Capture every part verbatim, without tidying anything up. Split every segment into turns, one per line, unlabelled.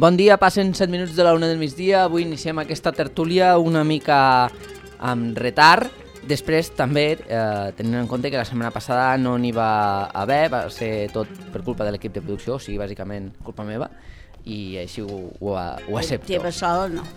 Bon dia, passen set minuts de la una del migdia. Avui iniciem aquesta tertúlia una mica amb retard. Després també, eh, tenint en compte que la setmana passada no n'hi va haver, va ser tot per culpa de l'equip de producció, o sigui, bàsicament culpa meva, i així ho, ho, ho accepto.
Teva sola, no.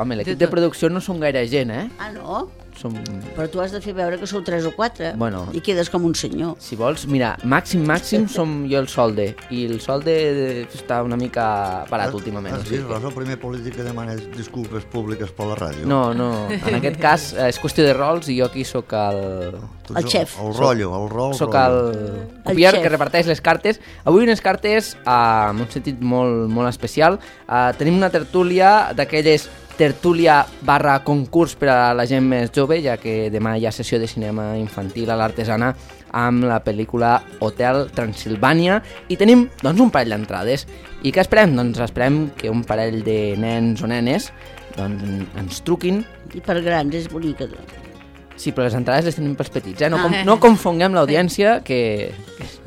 Home, l'equip de producció no som gaire gent, eh?
Ah, no?
Som...
Però tu has de fer veure que sou tres o quatre
bueno,
i quedes com un senyor.
Si vols, mira, màxim, màxim som jo el solde, i el solde està una mica parat últimament.
Has vist, Rosa, el primer polític que demana disculpes públiques per la ràdio?
No, no, en aquest cas és qüestió de rols i jo aquí sóc el...
El xef.
El rotllo, el rol.
Soc el copiar que reparteix les cartes. Avui unes cartes uh, en un sentit molt, molt especial. Uh, tenim una tertúlia d'aquelles tertúlia barra concurs per a la gent més jove, ja que demà hi ha sessió de cinema infantil a l'Artesana amb la pel·lícula Hotel Transilvània i tenim doncs un parell d'entrades. I què esperem? Doncs esperem que un parell de nens o nenes doncs, ens truquin.
I per grans és bonica.
Sí, però les entrades les tenim pels petits, eh? No, com, no confonguem l'audiència, que...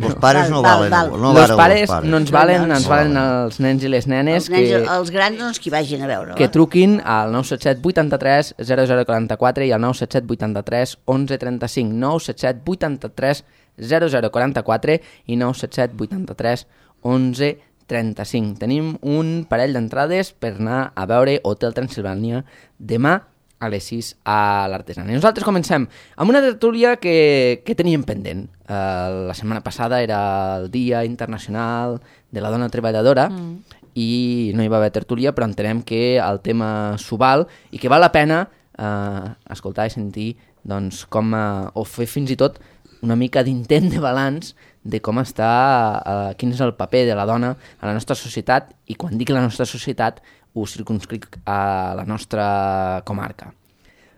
Els pares no
val,
valen.
val.
No
els pares,
pares
no ens valen,
no,
ens
no.
valen els nens i les nenes.
Els, nens,
que,
els grans doncs que hi vagin a veure.
que truquin al nou set set vuitanta-tres zero zero quaranta-quatre i al nou set set vuitanta-tres onze trenta-cinc, nou set set vuitanta-tres zero zero quaranta-quatre i nou set set vuitanta-tres onze trenta-cinc. Tenim un parell d'entrades per anar a veure Hotel Transilvània demà a les sis a l'Artesana. I nosaltres comencem amb una tertúlia que, que teníem pendent. Uh, la setmana passada era el Dia Internacional de la Dona Treballadora mm. i no hi va haver tertúlia, però entenem que el tema s'ho val i que val la pena uh, escoltar i sentir doncs, com, uh, o fer fins i tot una mica d'intent de balanç de com està, uh, quin és el paper de la dona a la nostra societat, i quan dic la nostra societat ho circumscric a la nostra comarca.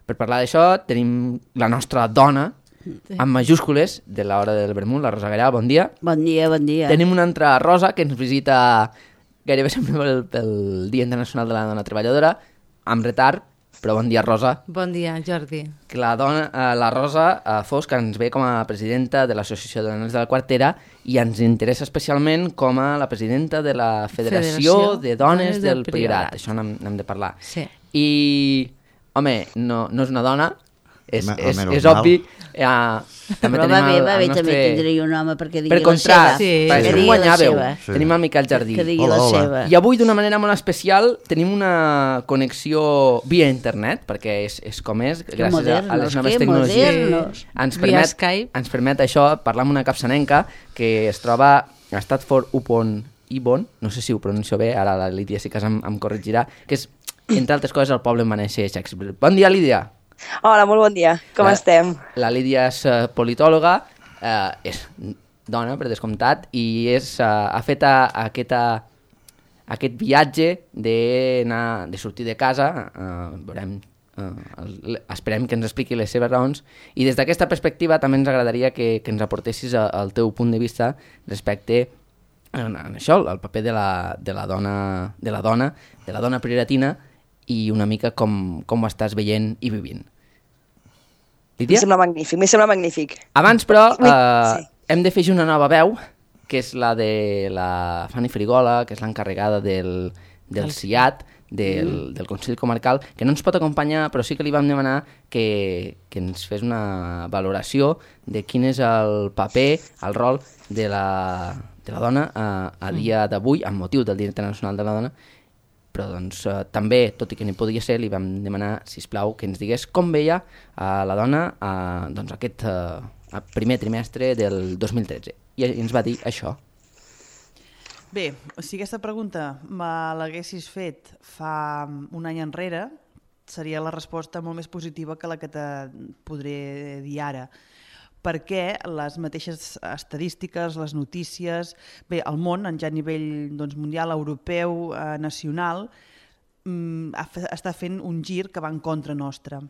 Per parlar d'això tenim la nostra dona, amb majúscules, de l'hora del vermut, la Rosa Gallà. Bon dia.
Bon dia, bon dia.
Tenim una altra Rosa que ens visita gairebé sempre pel, pel Dia Internacional de la Dona Treballadora, amb retard, però bon dia, Rosa.
Bon dia, Jordi.
Que la, dona, eh, la Rosa eh, Fosc ens ve com a presidenta de l'Associació de Dones de la Quartera i ens interessa especialment com a la presidenta de la Federació, Federació de Dones, Dones del, del Priorat. Priorat. Això n'hem de parlar.
Sí.
I, home, no, no és una dona, és,
Me,
és, és obvi. Ja, també
però
tenim
va bé,
el,
va
el
bé,
nostre...
també tindria un home perquè digui
per
la
contrast,
seva.
Sí.
per
Que
això
digui
guanyàveu.
la
Sí. Tenim el Miquel Jardí.
Que digui
Hola,
la
hola.
seva.
I avui, d'una manera molt especial, tenim una connexió via internet, perquè és, és com és,
Que
gràcies
modernos,
a les noves
que
tecnologies.
modernos.
Ens
Via
permet,
Skype.
ens permet això, parlar amb una capçanenca que es troba a Stratford upon Avon, no sé si ho pronuncio bé, ara la Lídia sí que em, em corregirà, que és, entre altres coses, el poble on va néixer Shakespeare. Bon dia, Lídia.
Hola, molt bon dia. Com
la,
estem?
La Lídia és uh, politòloga, uh, és dona, per descomptat, i és, uh, ha fet a, a aquesta, aquest viatge de, anar, de sortir de casa, uh, veurem, uh, el, esperem que ens expliqui les seves raons, i des d'aquesta perspectiva també ens agradaria que, que ens aportessis a, el teu punt de vista respecte a, a això, el paper de la, de la dona, de la dona, de la dona prioritina, i una mica com, com ho estàs veient i vivint. Lídia?
M'hi sembla magnífic, m'hi sembla magnífic.
Abans, però, eh,
Sí.
hem de fer una nova veu, que és la de la Fanny Frigola, que és l'encarregada del, del C I A T, del, del Consell Comarcal, que no ens pot acompanyar, però sí que li vam demanar que, que ens fes una valoració de quin és el paper, el rol de la, de la dona a, a dia d'avui, amb motiu del Dia Internacional de la Dona, però doncs, eh, també, tot i que n'hi podia ser, li vam demanar, sisplau, que ens digués com veia eh, la dona eh, doncs, aquest eh, primer trimestre del dos mil tretze. I ens va dir això.
Bé, si aquesta pregunta me l'haguessis fet fa un any enrere, seria la resposta molt més positiva que la que te podré dir ara, perquè les mateixes estadístiques, les notícies, bé, el món, en ja a nivell doncs, mundial, europeu, eh, nacional, mm, està fent un gir que va en contra nostra.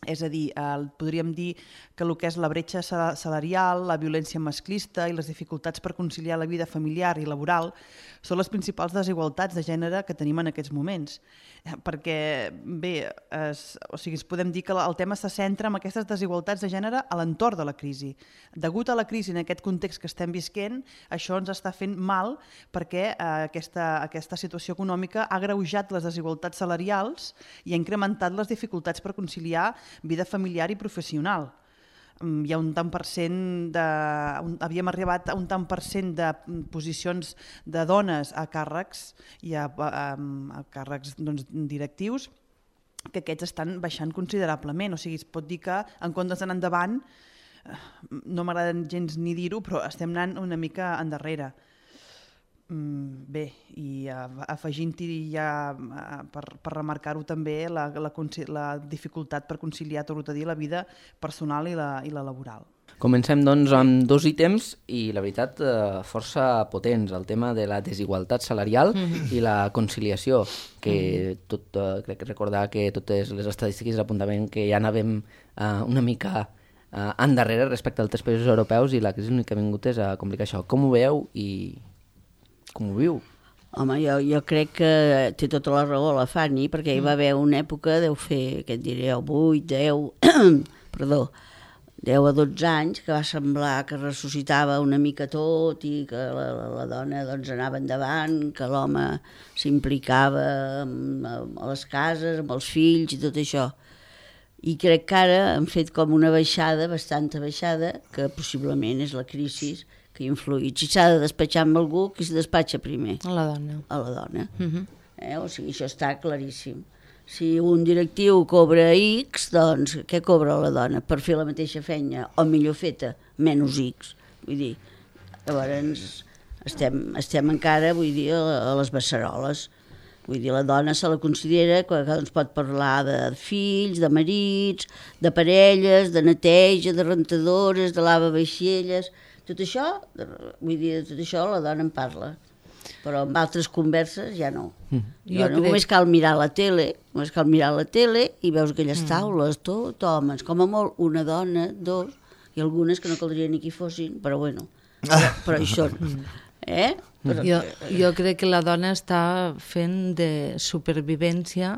És a dir, eh, podríem dir que el que és la bretxa salarial, la violència masclista i les dificultats per conciliar la vida familiar i laboral són les principals desigualtats de gènere que tenim en aquests moments. Perquè, bé, es, o sigui, podem dir que el tema se centra en aquestes desigualtats de gènere a l'entorn de la crisi. Degut a la crisi en aquest context que estem visquent, això ens està fent mal perquè eh, aquesta, aquesta situació econòmica ha agreujat les desigualtats salarials i ha incrementat les dificultats per conciliar vida familiar i professional. Hi ha un tant per cent de... Havíem arribat a un tant per cent de posicions de dones a càrrecs i a, a, a càrrecs doncs, directius que aquests estan baixant considerablement. O sigui, es pot dir que en comptes d'anar endavant, no m'agrada gens ni dir-ho, però estem anant una mica endarrere. Bé, i afegint-hi ja per, per remarcar-ho també la, la, la dificultat per conciliar, tot a dir, la vida personal i la, i la laboral.
Comencem doncs amb dos ítems i la veritat força potents, el tema de la desigualtat salarial mm-hmm. i la conciliació, que mm-hmm. tot, crec que recordar que totes les estadístiques apuntaven que ja anàvem uh, una mica uh, endarrere respecte als altres països europeus i la crisi l'únic que ha vingut és a complicar això. Com ho veieu i com ho viu?
Home, jo, jo crec que té tota la raó la Fanny, perquè hi va haver una època, deu fer, què et diré, vuit, deu, perdó, deu a dotze anys, que va semblar que ressuscitava una mica tot i que la, la, la dona doncs, anava endavant, que l'home s'implicava a les cases, amb els fills i tot això. I crec que ara han fet com una baixada, bastanta baixada, que possiblement és la crisi que ha influït. Si s'ha de despatxar amb algú, qui se despatxa primer?
A la dona.
A la dona.
Uh-huh.
eh? O sigui, això està claríssim. Si un directiu cobra X, doncs què cobra la dona? Per fer la mateixa feina, o millor feta, menys X. Vull dir, llavors estem, estem encara, vull dir, a les beceroles. Vull dir, la dona se la considera que doncs, pot parlar de fills, de marits, de parelles, de neteja, de rentadores, de lava-vaixelles. Tot això, vull dir, tot això la dona en parla, però en altres converses ja no. Mm. Jo jo no crec... Només cal mirar la tele, només cal mirar la tele i veus aquelles mm. taules, tot homes, com a molt una dona, dos, i algunes que no caldria ni que hi fossin, però bueno, però, però hi són. Eh? Però...
Jo, jo crec que la dona està fent de supervivència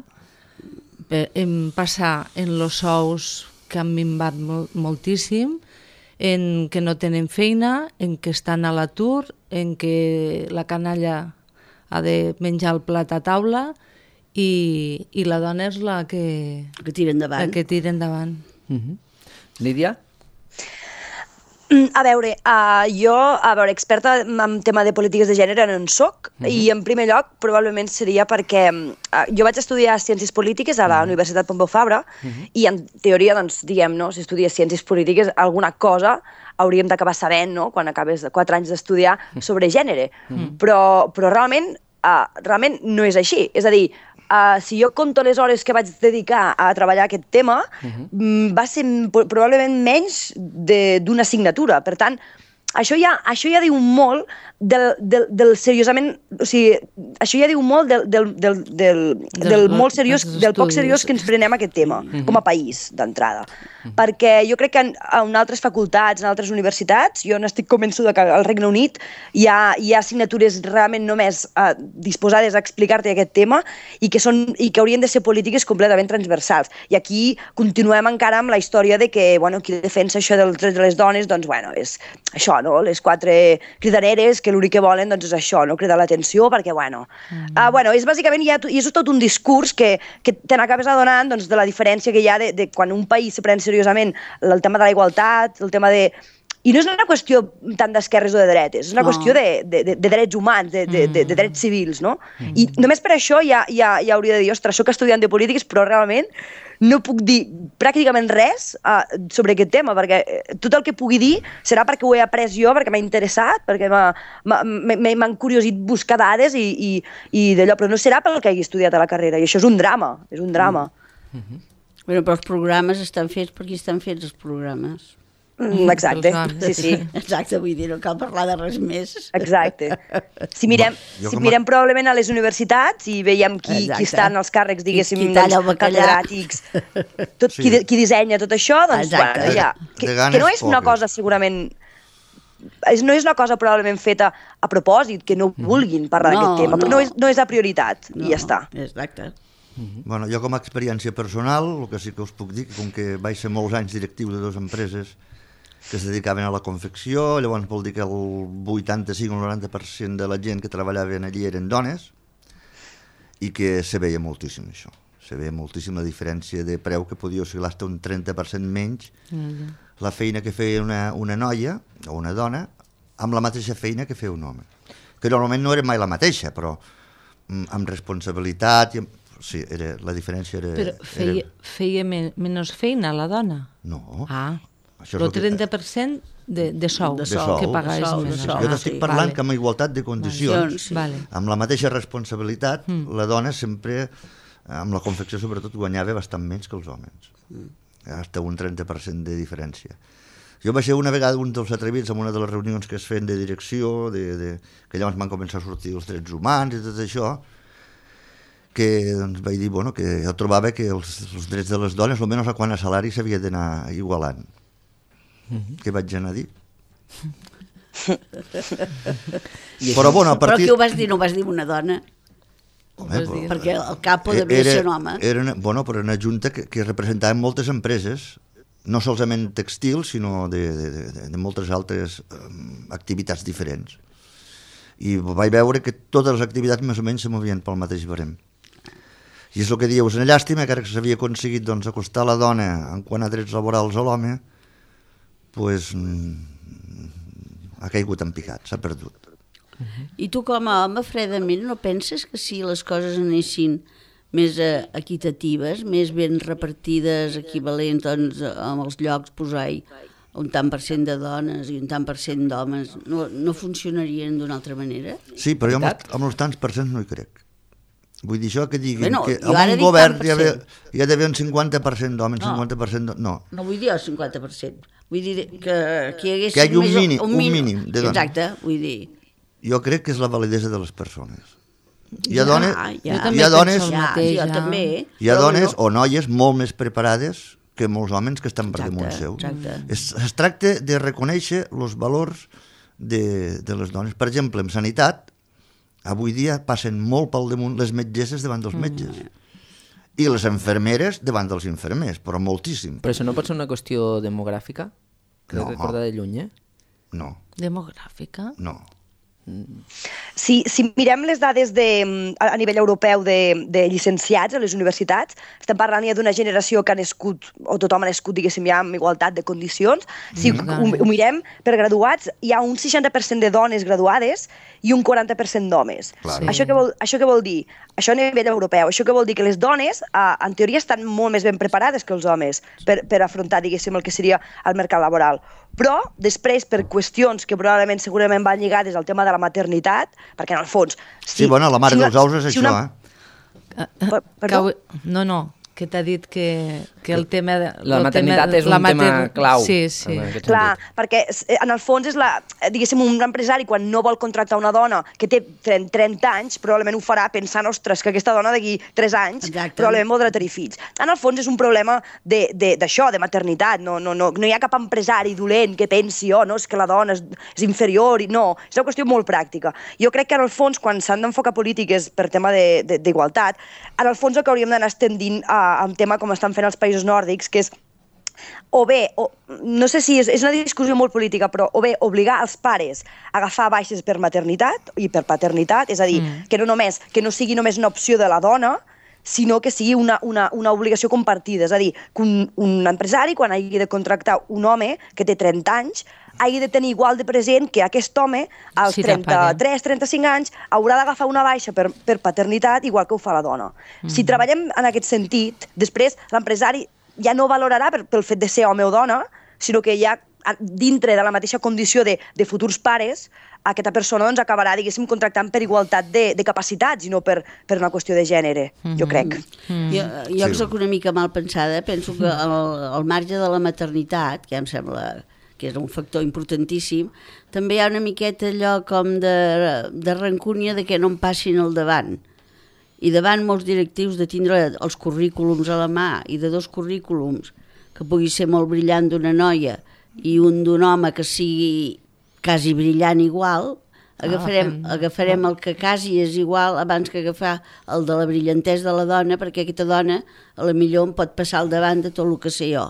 en passar en los sous que han minvat mol, moltíssim, en que no tenen feina, en que estan a l'atur, en que la canalla ha de menjar el plat a taula i, i la dona és la que,
que tira endavant.
La que tira endavant.
Uh-huh. Lídia?
A veure, uh, jo, a veure, experta en tema de polítiques de gènere no en soc, uh-huh. i en primer lloc probablement seria perquè uh, jo vaig estudiar Ciències Polítiques a la uh-huh. Universitat Pompeu Fabra, uh-huh. i en teoria, doncs, diguem, no, si estudies Ciències Polítiques, alguna cosa hauríem d'acabar sabent, no?, quan acabes quatre anys d'estudiar sobre gènere. Uh-huh. Però, però realment, uh, realment no és així. És a dir, Uh, si jo compto les hores que vaig dedicar a treballar aquest tema, uh-huh. va ser probablement menys d'una assignatura. Per tant, això ja, això ja diu molt del, del, del seriosament... O sigui, això ja diu molt del, del, del, del, del, del molt seriós, del poc seriós que ens prenem aquest tema, uh-huh. com a país, d'entrada. Uh-huh. Perquè jo crec que en, en altres facultats, en altres universitats, jo n'estic convençuda que al Regne Unit hi ha, hi ha assignatures realment només uh, disposades a explicar-te aquest tema i que, són, i que haurien de ser polítiques completament transversals. I aquí continuem encara amb la història de que, bueno, qui defensa això dels drets de les dones, doncs, bueno, és això, no? Les quatre cridaneres que l'únic que volen, doncs, és això, no? Cridar l'atenció, perquè, bueno... Mm. Uh, bueno, és bàsicament, ja, i és tot un discurs que, que te n'acabes adonant, doncs, de la diferència que hi ha de, de quan un país se pren seriosament el tema de la igualtat, el tema de... I no és una qüestió tant d'esquerres o de dretes, és una no. qüestió de, de, de, de drets humans, de, de, de, de drets civils, no? Mm. I només per això ja, ja, ja hauria de dir, ostres, soc estudiant de polítiques, però realment no puc dir pràcticament res uh, sobre aquest tema, perquè tot el que pugui dir serà perquè ho he après jo, perquè m'ha interessat, perquè m'han curiosit buscar dades i, i, i d'allò, però no serà pel que hagi estudiat a la carrera, i això és un drama, és un drama.
Mm. Mm-hmm. Bueno, però els programes estan fets per qui estan fets els programes.
Mm, exacte, sí, sí.
Exacte, vull dir, no cal parlar de res més.
Exacte. Si mirem,
Jo
si
com a-
mirem probablement a les universitats i veiem qui,
Exacte.
qui està en els càrrecs, diguéssim,
Qui- qui talla el
doncs,
bacallà.
catedràtics, tot,
Sí.
qui, de- qui dissenya tot això, doncs,
Exacte.
bueno, ja,
De-
que,
de ganes
que no és una
poques.
cosa segurament... És, no és una cosa probablement feta a propòsit, que no vulguin parlar
No,
d'aquest tema,
no.
però no és, no és la prioritat, i ja està.
Exacte.
Bueno, jo com a experiència personal, el que sí que us puc dir, que com que vaig ser molts anys directiu de dues empreses que es dedicaven a la confecció, llavors vol dir que el vuitanta-cinc o el noranta per cent de la gent que treballaven allí eren dones, i que se veia moltíssim això. Se veia moltíssim la diferència de preu, que podia oscil·lar fins un trenta per cent menys la feina que feia una, una noia o una dona amb la mateixa feina que feia un home. Que normalment no era mai la mateixa, però mm, amb responsabilitat... I amb... Sí, era, la diferència era...
Però feia,
era...
feia men menys feina la dona?
No.
Ah,
Això és
el
el que-
trenta per cent de, de sou,
De
De sou.
que pagais
De sou, de
menys.
sou.
Jo
Ah,
t'estic
sí.
parlant
Vale.
que amb igualtat de condicions,
Sí.
Vale.
amb la mateixa responsabilitat, mm. la dona sempre, amb la confecció sobretot, guanyava bastant menys que els homes. Mm. Hasta un trenta per cent de diferència. Jo vaig ser una vegada un dels atrevits en una de les reunions que es feien de direcció, de, de, que llavors van començar a sortir els drets humans i tot això, que doncs, vaig dir bueno, que jo trobava que els, els drets de les dones, almenys a quant a salari, s'havia d'anar igualant. Mm-hmm. Què vaig anar a dir? Però bueno, a
Però
partir...
qui ho vas dir? No ho vas dir una dona?
Home, però-
Perquè el capo devia
era,
ser un home.
Era una, bueno, però una junta que, que representava moltes empreses, no solament textils, sinó de, de, de, de moltes altres um, activitats diferents. I vaig veure que totes les activitats més o menys se movien pel mateix barem. I és el que dieu, és una llàstima que ara que s'havia aconseguit doncs, acostar la dona en quant a drets laborals a l'home, pues, mm, ha caigut en picat, s'ha perdut.
I tu com a home, fredament, no penses que si les coses anessin més eh, equitatives, més ben repartides, equivalents doncs, amb els llocs, posar-hi un tant per cent de dones i un tant per cent d'homes, no, no funcionarien d'una altra manera?
Sí, però jo amb els, amb els tants per cents no hi crec. Vull dir, això que diguin
Bueno,
que
jo
amb
ara
un
dic
govern
tant per
hi ha,
cent.
hi ha d'haver un cinquanta per cent d'homes,
No.
cinquanta per cent de... No,
No vull dir el cinquanta per cent. Vull dir que, que hi hagués
Que hi hagi un
més,
mínim- un mínim de dones.
Exacte, vull dir...
jo crec que és la validesa de les persones. Hi ha
Ja,
dones,
ja.
hi
Jo
ha
també penso
dones,
el
Ja,
mateix,
jo
ja.
també.
hi ha
però
dones
bueno,
o noies molt més preparades que molts homes que estan per
Exacte,
damunt seu.
exacte.
Es, es tracta de reconèixer els valors de, de les dones. Per exemple, en sanitat, avui dia passen molt pel damunt les metgesses davant dels metges. I les infermeres davant dels infermers, però moltíssim.
Però això no pot ser una qüestió demogràfica? Crec
No.
que recorda de lluny, eh?
No,
Demogràfica?
no.
Si, si mirem les dades de, a, a nivell europeu de, de llicenciats a les universitats, estem parlant ja d'una generació que ha nascut, o tothom ha nascut, diguéssim, ja amb igualtat de condicions. Si
Mm.
ho, ho mirem per graduats, hi ha un seixanta per cent de dones graduades i un quaranta per cent d'homes.
Clar.
Sí.
Això, què vol, això què vol dir? Això a nivell europeu. Això què vol dir? Que les dones, eh, en teoria, estan molt més ben preparades que els homes per, per afrontar, diguéssim, el que seria el mercat laboral. Però, després, per qüestions que probablement segurament van lligades al tema de la maternitat, perquè en el fons...
Sí, bueno, la mare
si una-
dels ous és
si
això,
una-
eh?
Per-
Que
perdó?
ho- No, no, que t'ha dit que, que el tema... De,
La
el
maternitat
tema,
és un
la
tema clau.
Sí, sí.
en aquest
Clar,
sentit.
perquè eh, en el fons és la, eh, diguéssim, un empresari quan no vol contractar una dona que té trenta anys, probablement ho farà pensant, ostres, que aquesta dona d'aquí tres anys
Exacte.
probablement voldrà tenir fills. En el fons és un problema de- de- d'això, de, de maternitat. No, no, no, no hi ha cap empresari dolent que pensi, oh, no, és que la dona és, és inferior. I... No, és una qüestió molt pràctica. Jo crec que en el fons, quan s'han d'enfocar polítiques per tema de- de- d'igualtat, en el fons el que hauríem d'anar estendint a, a un tema com estan fent els països nòrdics, que és o bé, o, no sé si és, és una discussió molt política, però o bé obligar els pares a agafar baixes per maternitat i per paternitat, és a dir, mm. que no només que no sigui només una opció de la dona, sinó que sigui una, una, una obligació compartida. És a dir, que un, un empresari, quan hagi de contractar un home que té trenta anys, hagi de tenir igual de present que aquest home, als
Sí, t'apaguen.
trenta-tres trenta-cinc anys, haurà d'agafar una baixa per, per paternitat, igual que ho fa la dona. Mm. Si treballem en aquest sentit, després l'empresari ja no valorarà per, pel fet de ser home o dona, sinó que ja a- dintre de la mateixa condició de, de futurs pares, aquesta persona doncs, acabarà, diguéssim, contractant per igualtat de, de capacitats i no per, per una qüestió de gènere, jo crec.
Mm. Jo, jo
Sí.
soc una mica mal pensada, penso que al, al marge de la maternitat, que ja em sembla que és un factor importantíssim, també hi ha una miqueta allò com de, de rancúnia de que no em passin al davant. I davant molts directius de tindre els currículums a la mà i de dos currículums que pugui ser molt brillant d'una noia i un d'un home que sigui quasi brillant igual, agafarem, ah, agafarem el que quasi és igual abans que agafar el de la brillantesa de la dona, perquè aquesta dona a la millor em pot passar al davant de tot el que sé jo.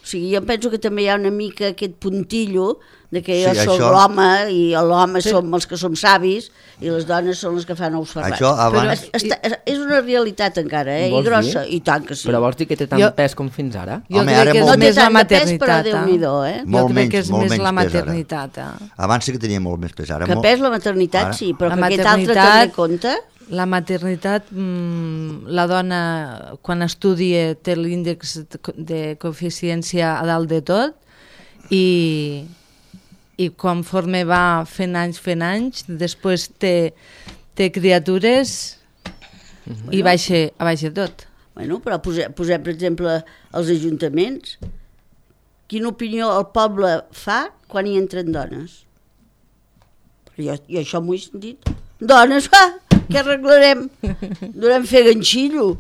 O sigui, jo penso que també hi ha una mica aquest puntillo de que jo sí, soc això... l'home i l'home sí. som els que som savis i les dones són les que fan ous ferrats.
Això abans...
Però està, és una realitat encara, eh? I grossa, dir? I tant que sí.
Però vols dir que té tant jo... pes com fins ara?
Jo
Home,
crec
ara
que és
molt...
més la
No
maternitat.
té tant de pes, però Déu-n'hi-do, eh?
Molt
jo crec
menys,
que és més la maternitat. Eh?
Abans sí que tenia molt més pes. Ara
que
molt...
pes la maternitat, ara... sí, però
la
que
maternitat...
aquest altre també compta...
La maternitat, mmm, la dona quan estudia té l'índex de coeficiència a dalt de tot i, i conforme va fent anys, fent anys, després té, té criatures bueno, i baixa, baixa tot.
Bueno, però posem, posem, per exemple, els ajuntaments. Quina opinió el poble fa quan hi entren dones? Jo, jo això m'ho he sentit. Dones, ah, què arreglarem? Durem fer ganxillo.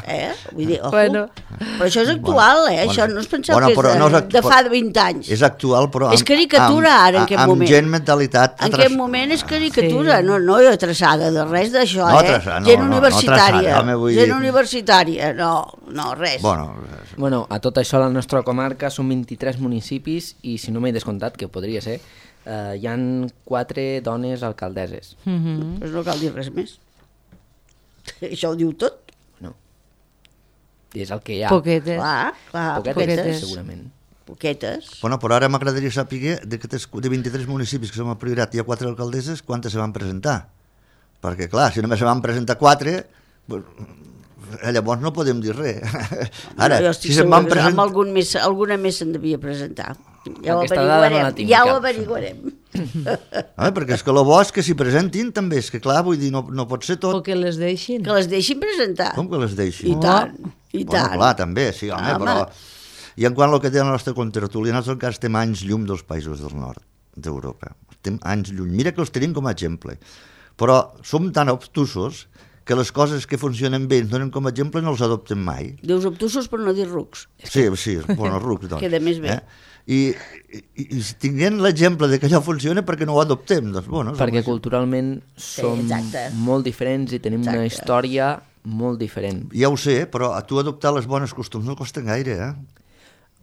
Eh? Vull dir, ojo. Bueno. Però això és actual, eh? Bueno, això no es pensava bueno, que és de, no és act... de fa vint anys.
És actual, però...
És caricatura, amb, ara, en aquest
amb
moment.
Amb gent mentalitat...
En aquest moment és caricatura, sí. no, no hi ha traçada de res d'això,
no,
eh?
traçada, no,
gent
no,
universitària,
no traçada,
gent universitària, no, no, res.
Bueno,
bueno, a tot això la nostra comarca són vint-i-tres municipis i si no m'he descomptat, que podria ser, Uh, hi ha quatre dones alcaldesses.
Mm-hmm. Pues no cal dir res més. Això ho diu tot.
No. És el que hi ha.
Poquetes.
Clar, clar,
poquetes,
poquetes.
segurament.
Poquetes.
Bueno, però ara m'agradaria saber de, de vint-i-tres municipis que som a priorat hi ha quatre alcaldesses, quantes se van presentar? Perquè, clar, si només se van presentar quatre... Pues, llavors no podem dir res. Ara,
no, si se'n van presentar... Amb algun més, alguna més se'n devia presentar. Ja ho averiguarem. No ja ho averiguarem.
Ah, perquè és que el bo és que s'hi presentin també, és que clar, vull dir, no, no pot ser tot.
O que les deixin.
Que les deixin presentar.
Com que les deixin?
I tant, i
bueno,
tant.
Clar, també, sí, home, home. Però... I en quant al que té la nostra contratertúlia, nosaltres encara estem anys llum dels països del nord d'Europa. Estem anys lluny. Mira que els tenim com a exemple. Però som tan obtusos que les coses que funcionen bé ens donen com a exemple i no els adoptem mai.
Dius obtusos per no dir rucs.
Sí, sí, bueno, rucs, doncs.
Queda més bé.
Eh? I, i, i tinguent l'exemple de que allò funciona, perquè no ho adoptem? Doncs, bueno,
perquè culturalment som
sí,
molt diferents i tenim exacte. Una història molt diferent.
Ja ho sé, però a tu adoptar les bones costums no costa gaire, eh?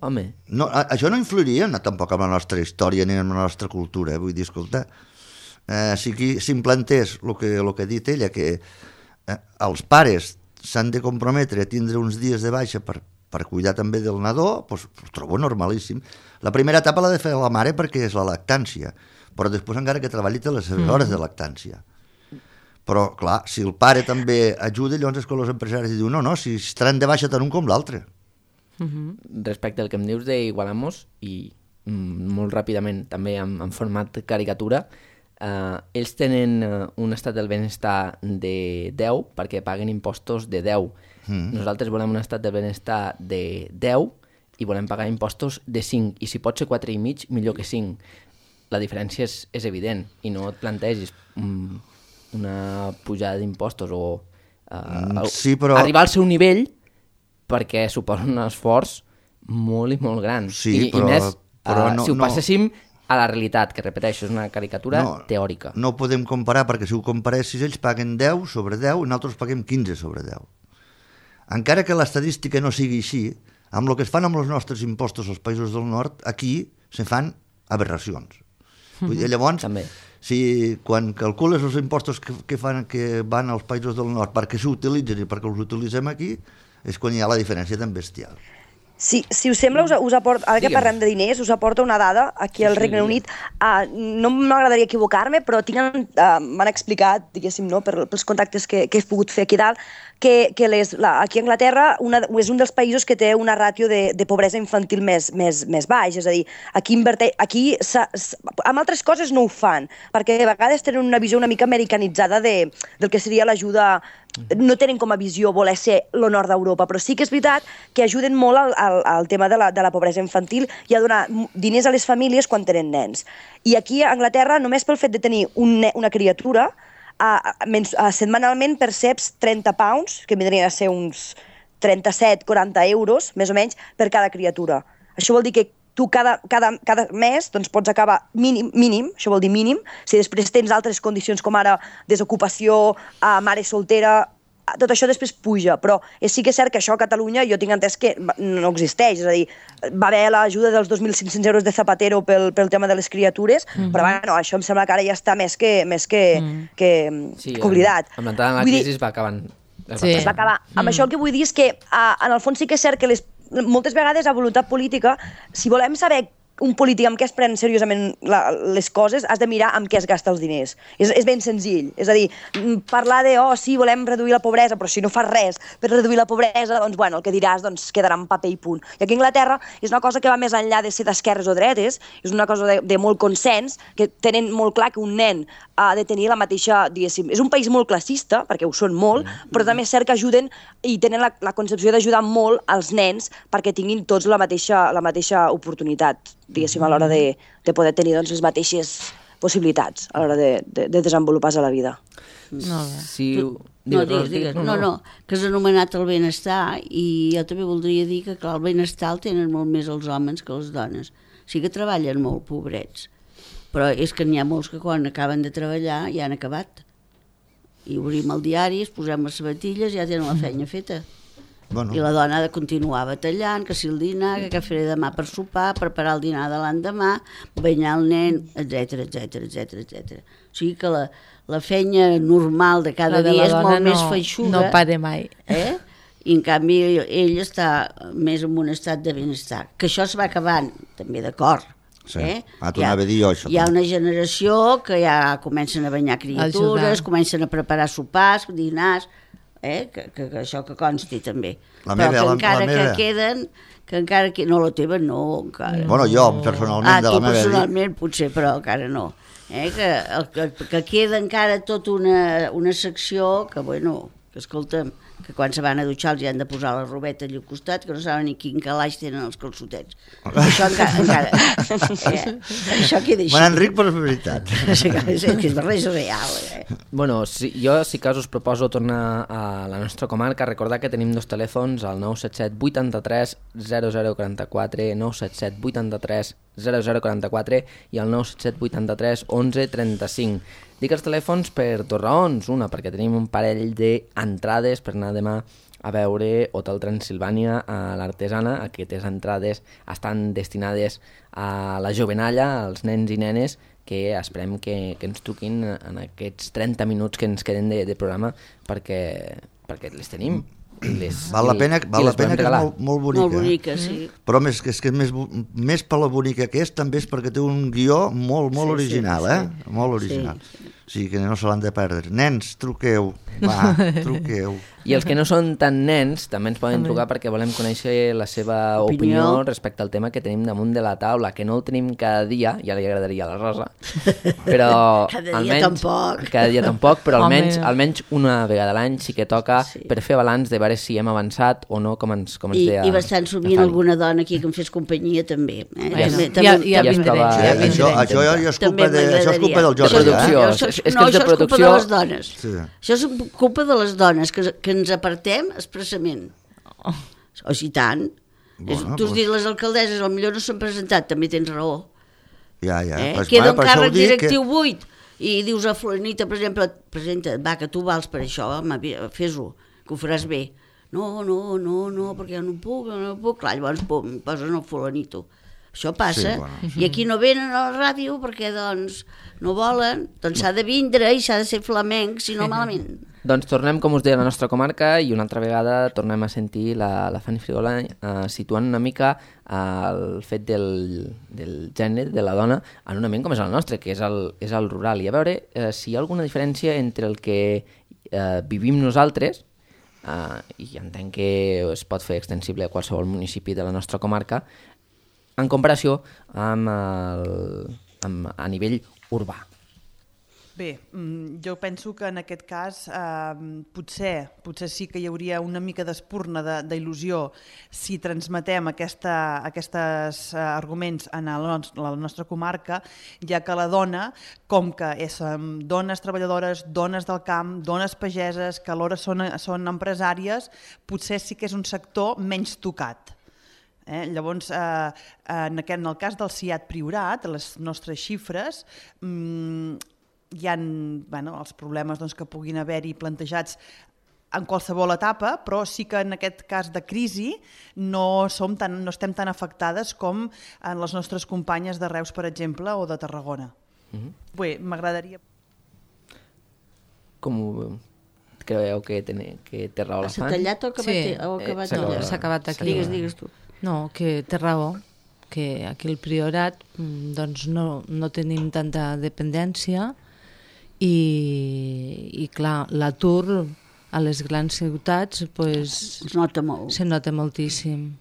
Home.
No, a, això no influiria no, tampoc amb la nostra història ni amb la nostra cultura, eh? Vull dir, escolta, eh, si aquí s'implantés el que, el que ha dit ella, que eh, els pares s'han de comprometre a tindre uns dies de baixa per per cuidar també del nadó, doncs, ho trobo normalíssim. La primera etapa l'ha de fer la mare perquè és la lactància, però després encara que treballi té les seves hores de lactància. Però, clar, si el pare també ajuda, llavors és que els empresaris diuen no, no, si estaran de baixa tant un com l'altre.
Uh-huh. Respecte al que em dius d'Igualamos, i mm, molt ràpidament, també en, en format caricatura, eh, ells tenen uh, un estat del benestar de deu perquè paguen impostos de deu. Mm. Nosaltres volem un estat de benestar de deu i volem pagar impostos de cinc, i si pot ser quatre i mig, millor que cinc. La diferència és, és evident, i no et plantegis um, una pujada d'impostos o uh,
sí, però...
arribar al seu nivell, perquè suposa un esforç molt i molt gran.
Sí,
I,
però,
i més,
però
uh,
no,
si ho
no...
passéssim a la realitat, que repeteixo, és una caricatura
no,
teòrica.
No ho podem comparar, perquè si ho comparessis, ells paguen deu sobre deu i nosaltres paguem quinze sobre deu. Encara que l'estadística no sigui així, amb el que es fan amb els nostres impostos als països del nord, aquí se fan aberracions. Vull dir, llavors,
també.
Si quan calcules els impostos que, que, fan, que van als països del nord perquè s'utilitzen i perquè els utilitzem aquí, és quan hi ha la diferència tan bestial.
Si, si us sembla, us, us aporto, ara que
Digue'm.
parlem de diners, us aporta una dada aquí al Regne Unit. Uh, no m'agradaria equivocar-me, però tinc, uh, m'han explicat, diguéssim, no, per, pels contactes que, que he pogut fer aquí dalt, que, que les, la, aquí a Anglaterra una, és un dels països que té una ràtio de, de pobresa infantil més, més, més baix, és a dir, aquí, inverte, aquí s, s, amb altres coses no ho fan, perquè a vegades tenen una visió una mica americanitzada de, del que seria l'ajuda, no tenen com a visió voler ser el nord d'Europa, però sí que és veritat que ajuden molt al, al, al tema de la, de la pobresa infantil i a donar diners a les famílies quan tenen nens. I aquí a Anglaterra, només pel fet de tenir un, una criatura, a, a, a, setmanalment perceps trenta pounds, que vindrien a ser uns trenta-set quaranta euros, més o menys, per cada criatura. Això vol dir que tu cada, cada, cada mes doncs, pots acabar mínim, mínim, això vol dir mínim, si després tens altres condicions com ara desocupació, a mare soltera, tot això després puja, però sí que és cert que això a Catalunya jo tinc entès que no existeix, és a dir, va haver l'ajuda dels dos mil cinc-cents euros de Zapatero pel, pel tema de les criatures, mm-hmm. però bueno, això em sembla que ara ja està més que, més que, mm. que,
sí,
que oblidat.
Amb l'entrada en la crisi es va acabant.
Sí. Es va acabar. Mm. Amb això el que vull dir és que a, en el fons sí que és cert que les moltes vegades a voluntat política, si volem saber un polític amb què es pren seriosament la, les coses, has de mirar amb què es gasta els diners. És, és ben senzill. És a dir, parlar de, oh, sí, volem reduir la pobresa, però si no fas res per reduir la pobresa, doncs, bueno, el que diràs doncs, quedarà en paper i punt. I aquí a Anglaterra és una cosa que va més enllà de ser d'esquerres o dretes, és una cosa de, de molt consens, que tenen molt clar que un nen ha de tenir la mateixa, diguéssim, és un país molt classista, perquè ho són molt, però també és cert que ajuden i tenen la, la concepció d'ajudar molt als nens perquè tinguin tots la mateixa, la mateixa oportunitat, diguéssim, a l'hora de, de poder tenir doncs, les mateixes possibilitats a l'hora de, de, de desenvolupar-se a la vida.
No,
si...
Tu, no, digues, digues. No, no, que has anomenat el benestar i jo també voldria dir que clar, el benestar el tenen molt més els homes que les dones. Sí que treballen molt, pobrets, però és que n'hi ha molts que quan acaben de treballar ja han acabat. I obrim el diari, es posem les sabatilles i ja tenen la feina feta. Bueno. I la dona ha de continuar batallant, que si el dinar, que què faré demà per sopar, preparar el dinar de l'endemà, banyar el nen, etc etc etc etc. O sigui que la, la feina normal de cada
de
dia és molt
no,
més feixuga.
No pare mai.
Eh? I en canvi ell està més en un estat de benestar. Que això es va acabant, també d'acord.
Sí.
Eh?
Ah, t'ho anava a dir jo, això.
Hi ha una generació que ja comencen a banyar criatures, Ajudar. comencen a preparar sopars, dinars, eh? que, que, que això que consti també.
La
però
meva,
que
la,
encara
la meva.
que queden, que encara que... No, la teva no, encara.
Bueno, jo, personalment,
ah,
de la
tu
meva...
personalment potser, però encara no. Eh? Que, el, que, que queda encara tota una, una secció que, bueno, que escolta'm, que quan se van a dutxar els hi han de posar la robeta allà al costat, que no saben ni quin calaix tenen els calçotets. Això encara... encara eh? Això queda així.
Bueno, Enric, però és veritat.
És que és res real. Eh?
Bueno, si, jo sí que us proposo tornar a la nostra comarca, recordar que tenim dos telèfons, el nou set set vuitanta-tres zero zero quaranta-quatre, nou set set vuitanta-tres zero zero quaranta-quatre i el nou set set vuitanta-tres onze trenta-cinc. Dic els telèfons per dues raons. Una, perquè tenim un parell d'entrades per anar demà a veure Hotel Transilvània a l'Artesana. Aquestes entrades estan destinades a la jovenalla, als nens i nenes, que esperem que, que ens truquin en aquests trenta minuts que ens queden de, de programa perquè, perquè les tenim. Les,
val la pena, val la pena que és molt, molt bonica.
Molt bonica, sí.
Però més, que és que més, més per la bonica que és, també és perquè té un guió molt, molt
sí,
original,
sí,
eh?
sí.
Molt original.
Sí, sí.
O sigui que no se l'han de perdre. Nens, truqueu, va, truqueu.
I els que no són tan nens també ens poden trucar perquè volem conèixer la seva opinió, opinió respecte al tema que tenim damunt de la taula, que no el tenim cada dia, ja li agradaria a la Rosa, però
cada dia
almenys,
tampoc.
Cada dia tampoc, però almenys, almenys una vegada a l'any sí que toca sí. per fer balanç de veure si hem avançat o no, com ens, com ens
I,
deia.
I bastant sovint alguna dona aquí que em fes companyia també. Eh?
Ja,
també,
no.
també,
ja, ja,
ja
vindré,
ja
Sí,
vindré.
això, això ja és culpa, de, això és culpa del Jordi.
De producció.
Eh?
Això,
És- és que
no,
és de
això és culpa
producció.
de les dones.
Sí.
Això és culpa de les dones, que, que ens apartem expressament. Oh. O si tant.
Bueno,
És, tu has
doncs-
dit les alcaldesses, potser no s'han presentat, també tens raó.
Ja, ja.
Eh?
Pues,
Queda
bueno,
un
per això ho
càrrec
dic
directiu
que...
buit i dius a Fulanita, per exemple, presenta, va, que tu vals per això, home, fes-ho, que ho faràs bé. No, no, no, no, perquè jo no puc, no puc. Clar, llavors pum, posen el Fulanito. Això passa,
Sí, bueno.
i aquí no venen a la ràdio perquè doncs no volen, doncs s'ha de vindre i s'ha de ser flamenc, si no malament.
Doncs tornem, com us deia, a la nostra comarca i una altra vegada tornem a sentir la, la Fanny Frigola eh, situant una mica eh, el fet del, del gènere, de la dona, en un ambient com és el nostre, que és el, és el rural. I a veure eh, si hi ha alguna diferència entre el que eh, vivim nosaltres uh, i entenc que es pot fer extensible a qualsevol municipi de la nostra comarca, en comparació amb, el, amb a nivell urbà.
Bé, jo penso que en aquest cas eh, potser, potser sí que hi hauria una mica d'espurna d'il·lusió si transmetem aquesta, aquests eh, arguments en el, la nostra comarca, ja que la dona, com que és, dones treballadores, dones del camp, dones pageses, que alhora són, són empresàries, potser sí que és un sector menys tocat. Eh? Llavors, eh, en, aquest, en el cas del C I A T Priorat, les nostres xifres, mmm, hi ha bueno, els problemes doncs, que puguin haver-hi plantejats en qualsevol etapa, però sí que en aquest cas de crisi no, som tan, no estem tan afectades com en les nostres companyes de Reus, per exemple, o de Tarragona. Mm-hmm. Bé, m'agradaria...
Com ho creieu que té, que té raó la Fan?
S'ha tallat o acabat?
Sí,
o acabat
eh,
allà?
s'ha acabat aquí.
Digues, digues tu.
No, que té raó, que aquí al Priorat doncs no, no tenim tanta dependència i, i clar, l'atur a les grans ciutats pues,
es nota molt.
se nota moltíssim.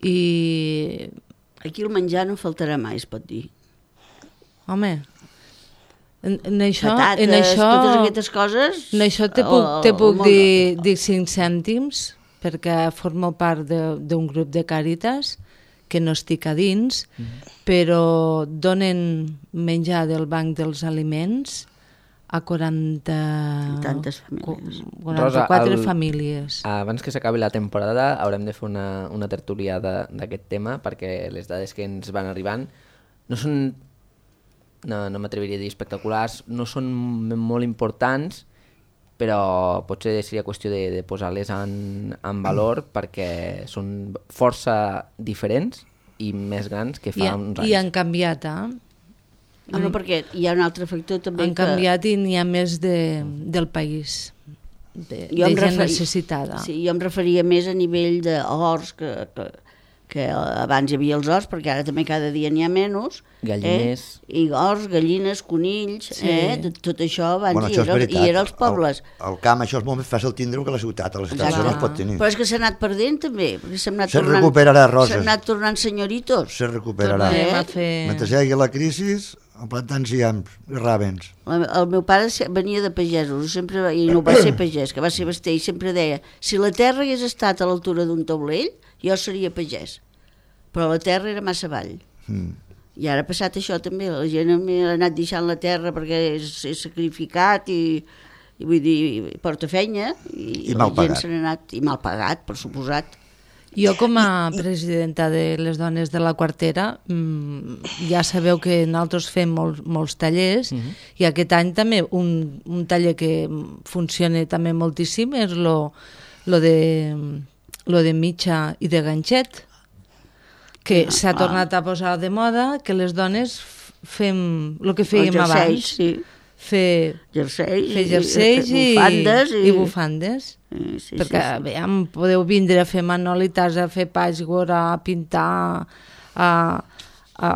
I...
Aquí el menjar no faltarà mai, es pot dir.
Home, en, en això...
Patates,
en això,
totes aquestes coses...
En això te puc, te puc dir, dir cinc cèntims, perquè formo part d'un grup de Càritas, que no estic a dins, mm. però donen menjar del banc dels aliments a quaranta...
Tantes famílies.
quaranta-quatre
Rosa, el,
famílies.
Abans que s'acabi la temporada haurem de fer una, una tertúlia d'aquest tema, perquè les dades que ens van arribant no són, no, no m'atreviria a dir espectaculars, no són molt importants, però potser seria qüestió de, de posar-les en, en valor perquè són força diferents i més grans que fa
I,
uns anys.
I han canviat, eh?
Bueno, perquè hi ha un altre factor també
Han
que...
canviat i n'hi ha més de, del país, de, de
Jo em
gent
referi-
necessitada.
Sí, jo em referia més a nivell d'horts, que, que, que abans hi havia els horts, perquè ara també cada dia n'hi ha menys.
Galliners.
Eh? I horts, gallines, conills,
Sí.
eh? tot, tot això abans
Bueno,
hi,
això és
era,
veritat.
i era als pobles.
Al, al camp això és molt més fàcil tindre-ho que a la ciutat. A la ciutat això no es pot tenir.
Però és que s'ha anat perdent també, perquè s'han anat
Se
tornant...
recuperarà, Rosa.
S'han anat tornant senyoritos.
Se recuperarà.
Tornarem
Eh?
a fer...
Mentre hi hagi la crisi, plantant ciams i ràbens.
El, el meu pare se- venia de pagesos, sempre, i no va ser pagès, que va ser baster, i sempre deia, si la terra hagués estat a l'altura d'un taulell, jo seria pagès. Però la terra era massa avall.
Mm.
I ara ha passat això també, la gent ha anat deixant la terra perquè és, és sacrificat i, i vull dir, porta feina, i,
I mal
la gent
pagat.
se n'ha anat, i mal pagat, per suposat.
Jo com a presidenta de les dones de la quartera mmm, ja sabeu que nosaltres fem molts, molts tallers uh -huh. i aquest any també un, un taller que funciona també moltíssim és lo, lo, de, lo de mitja i de ganxet, que s'ha
ah.
tornat a posar de moda, que les dones fem el que fèiem
Els jerseis,
abans,
sí.
fer,
Jerseis,
fer jerseis i,
i, bufandes. I,
i bufandes.
Sí, sí,
Perquè
sí, sí.
veiem, podeu vindre a fer manolites, a fer patchwork, a pintar, a, a,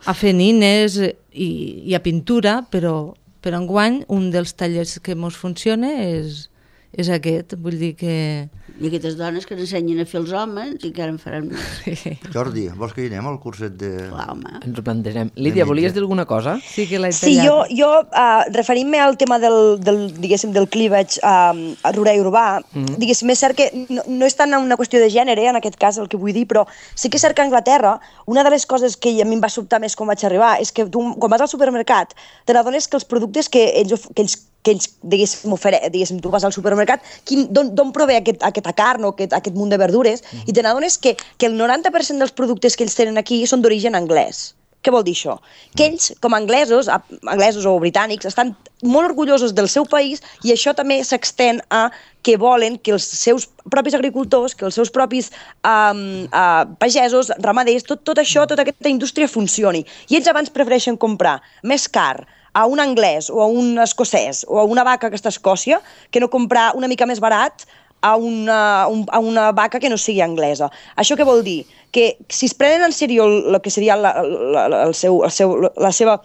a fer nines i, i a pintura, però, però enguany un dels tallers que ens funciona és, és aquest, vull dir que...
I aquestes dones que ens ensenyen a fer els homes i que ara en faran més.
Jordi, vols que hi anem al curset de...
Clar, home.
Ens ho plantegem. Lídia, volies dir alguna cosa?
Sí que l'he
Sí, jo, jo uh, referint-me al tema del, del, diguéssim, del cleavage uh, rural i urbà, mm -hmm. diguéssim, és cert que no, no és tant una qüestió de gènere, en aquest cas, el que vull dir, però sí que és cert que a Anglaterra, una de les coses que a mi em va sobtar més quan vaig arribar és que tu, quan vas al supermercat, te n'adones que els productes que ells, of- que ells que ells, diguéssim, ofere, diguéssim, tu vas al supermercat, d'on prové aquest, aquesta carn o aquest, aquest munt de verdures, mm -hmm. i te n'adones que, que el noranta per cent dels productes que ells tenen aquí són d'origen anglès. Què vol dir això? Que ells, com a anglesos, a, anglesos o britànics, estan molt orgullosos del seu país i això també s'extén a que volen que els seus propis agricultors, que els seus propis um, uh, pagesos, ramaders, tot, tot això, tota aquesta indústria funcioni. I ells abans prefereixen comprar més car a un anglès o a un escocès o a una vaca que està a Escòcia que no comprar una mica més barat a una, a una vaca que no sigui anglesa. Això què vol dir? Que si es prenen en sèrio el que seria la, la, el seu, el seu, la seva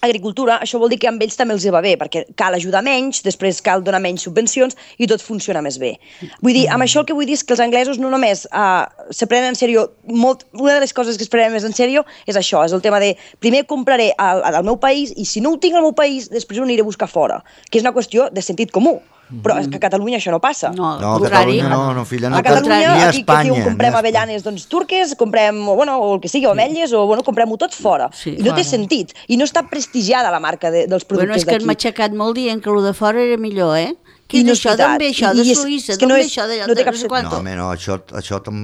agricultura, això vol dir que amb ells també els va bé, perquè cal ajudar menys, després cal donar menys subvencions i tot funciona més bé. Vull dir, amb això el que vull dir és que els anglesos no només uh, se prenen en sèrio, molt, una de les coses que es prenen més en sèrio és això, és el tema de primer compraré al, al meu país i si no ho tinc al meu país, després ho aniré a buscar fora, que és una qüestió de sentit comú. Però és que a Catalunya això no passa.
No,
No, a
contrari.
Catalunya no, no, filla, no.
A Catalunya,
Ni a
aquí,
Espanya.
aquí comprem avellanes doncs, turques, comprem, o, bueno, o el que sigui, o ametlles, o bueno, comprem-ho tot fora.
Sí,
I no té
fora.
sentit. I no està prestigiada la marca de, dels
Bueno, és
productes
que
d'aquí.
hem aixecat molt dient que el de fora era millor, eh? Què
I
és
no és
això? D'on
veritat.
ve això?
I-
De
i és-
Suïssa?
és que
D'on
no
ve
és-
això? De,
no té
de
cap
sé
sentit.
quanto?
No, home, no, això, això tam...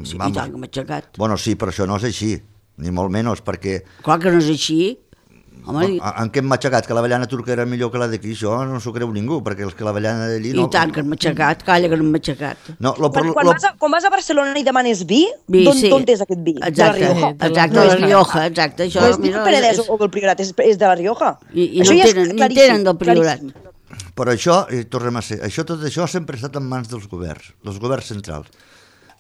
Sí, i
vamos.
tant que hem aixecat.
Bueno, sí, però això no és així, ni molt menys, perquè
Clar que no és així. Home, i,
en què hem matxacat? Que l'avellana turca era millor que la d'aquí? Això no s'ho creu ningú, perquè els que l'avellana d'allí...
i
No,
tant que hem aixecat, calla que no hem aixecat.
No, lo,
Quan,
lo,
quan,
lo,
vas a, quan vas a Barcelona i demanes vi,
Vi,
d'on
sí.
d'on és aquest vi?
Exacte,
De la Rioja.
de la
exacte, de la Rioja, exacte. Això,
No és ni
mira,
el Penedès
és-
o el Priorat, és, és de la Rioja.
I, i
Això
no
ja és
tenen, ni
claríssim,
tenen del Priorat.
claríssim.
Però això, i tornem a ser, això, tot això sempre ha estat en mans dels governs, dels governs centrals.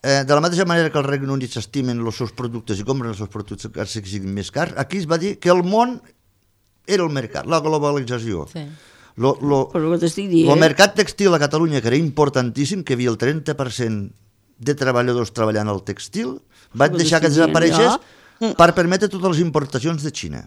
Eh, de la mateixa manera que el Regne Unit s'estimen els seus productes i compren els seus productes que siguin més cars, aquí es va dir que el món era el mercat, la globalització.
Sí.
Lo, lo,
Però el que t'estic dient...
el mercat textil a Catalunya, que era importantíssim, que hi havia el trenta per cent de treballadors treballant al textil, van
Però
deixar que
t'estic dient,
desapareixés per permetre totes les importacions de Xina.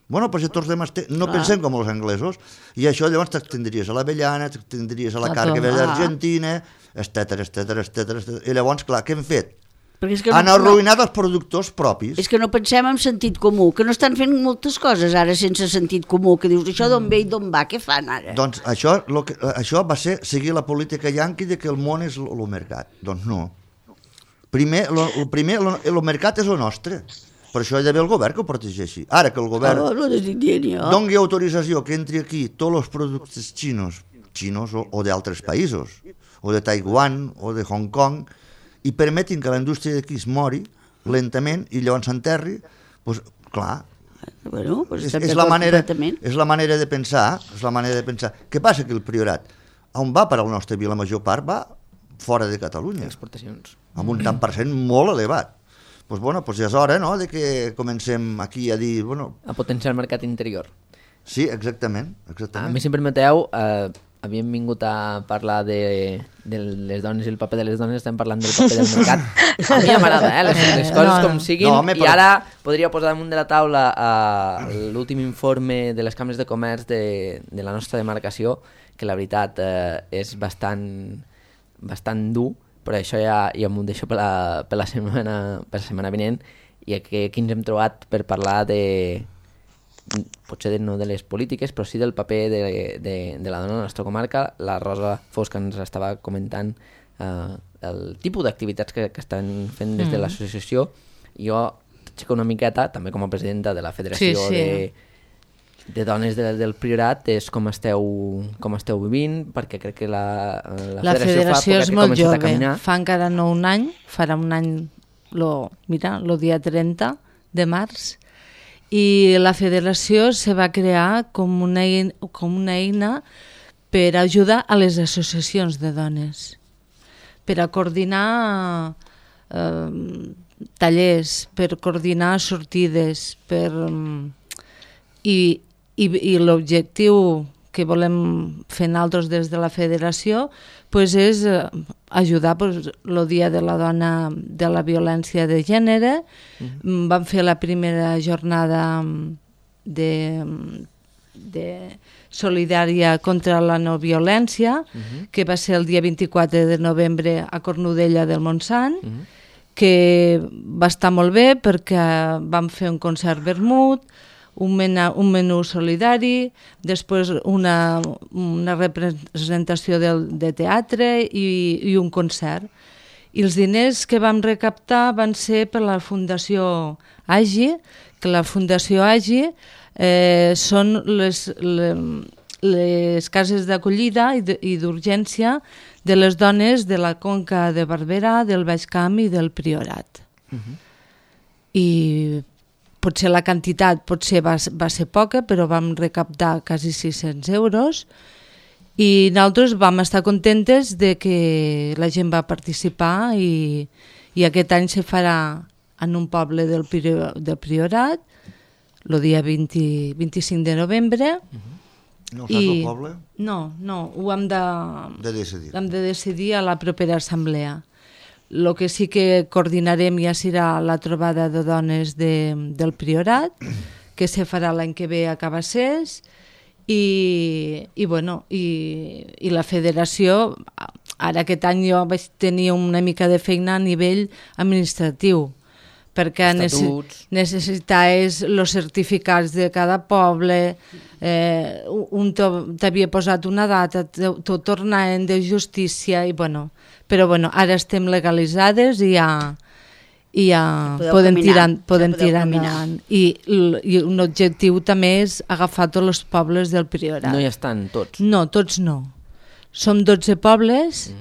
Bueno, doncs ja tornem a estar... No
Clar.
pensem com els anglesos, i això llavors t'extendries a l'avellana, t'extendries a la
A
carn que ve
tot.
d'Argentina, etcètera, etcètera, etcètera, etcètera. I llavors, clar, què hem fet?
Perquè és que
Han
no,
arruïnat els productors propis.
és que no pensem en sentit comú, que no estan fent moltes coses ara sense sentit comú, que dius, això d'on ve i d'on va, què fan ara?
Doncs això, lo que, això va ser seguir la política yanqui de que el món és el mercat. Doncs no. Primer, lo, el primer, lo, el mercat és el nostre. Per això hi ha d'haver el govern que ho protegeixi. Ara que el govern
Oh, no t'estic dient jo.
doni autorització que entri aquí tots els productes xinos, xinos o, o d'altres països, o de Taiwan o de Hong Kong, i permetin que la indústria d'aquí es mori lentament i llavors s'enterri, doncs, clar,
Bueno, pues
és,
estem
és, la
d'acord
manera,
completament.
és la manera de pensar, és la manera de pensar. Què passa que el Priorat, on va per al nostre vi, la major part va fora de Catalunya,
Exportacions.
amb un tant per cent molt elevat. Doncs pues, bueno, pues ja és hora, no?, de que comencem aquí a dir, bueno,
A potenciar el mercat interior.
sí, exactament,
A
exactament.
mi, si em permeteu, eh, havíem vingut a parlar de, de les dones i el paper de les dones, estem parlant del paper del mercat. A mi ja m'agrada, eh, les, les coses
No, no.
com siguin,
No, home,
i
però-
ara podria posar damunt de la taula eh, l'últim informe de les cambres de comerç de, de la nostra demarcació, que la veritat eh, és bastant, bastant dur, però això ja, ja m'ho deixo per la, per, la setmana, per la setmana vinent, i aquí, aquí ens hem trobat per parlar de, potser de, no de les polítiques, però sí del paper de, de, de la dona a la nostra comarca. La Rosa Fosca ens estava comentant eh, el tipus d'activitats que, que estan fent des de
Mm.
l'associació. Jo t'aixeco una miqueta, també com a presidenta de la Federació
Sí, sí.
de, de Dones de, del Priorat, és com esteu, com esteu vivint, perquè crec que la, la,
La federació
fa
és
poc que ha
molt
començat a
jove,
caminar.
fa encara no un any, farà un any, lo, mira, el dia trenta de març, i la federació se va crear com una, eina, com una eina per ajudar a les associacions de dones, per a coordinar eh, tallers, per coordinar sortides, per, i, i, i l'objectiu que volem fer nosaltres des de la federació pues és eh, ajudar pues, el Dia de la Dona de la Violència de Gènere. Mm. Vam fer la primera jornada de, de solidària contra la no violència, uh-huh. que va ser el dia vint-i-quatre de novembre a Cornudella del Montsant, uh-huh. que va estar molt bé perquè vam fer un concert vermut, un, mena, un menú solidari, després una, una representació de, de teatre i, i un concert. I els diners que vam recaptar van ser per la Fundació Agi, que la Fundació Agi eh, són les, les, les cases d'acollida i d'urgència de les dones de la Conca de Barberà, del Baix Camp i del Priorat. Uh-huh. I potser la quantitat potser va, va ser poca, però vam recaptar quasi sis-cents euros i nosaltres vam estar contentes de que la gent va participar i, i aquest any se farà en un poble del, Prior, del Priorat, el dia vint, vint-i-cinc de novembre.
No ho saps el poble?
No, no, ho hem de,
De decidir.
hem de decidir a la propera assemblea. El que sí que coordinarem ja serà la trobada de dones de, del Priorat, que se farà l'any que ve a Cabassers, i, i, bueno, i, i la federació, ara aquest any jo vaig tenir una mica de feina a nivell administratiu, perquè
Estatuts.
necessitaves els certificats de cada poble, eh, un t'havia posat una data, t'ho tornaven de justícia, i bueno, però bueno, ara estem legalitzades i ja, i ja
Podeu
podem
caminar,
tirar,
ja
podem
podeu
tirar
caminar.
endavant. I, l- I un objectiu també és agafar tots els pobles del Priorat.
No hi estan tots.
No, tots no. Som dotze pobles,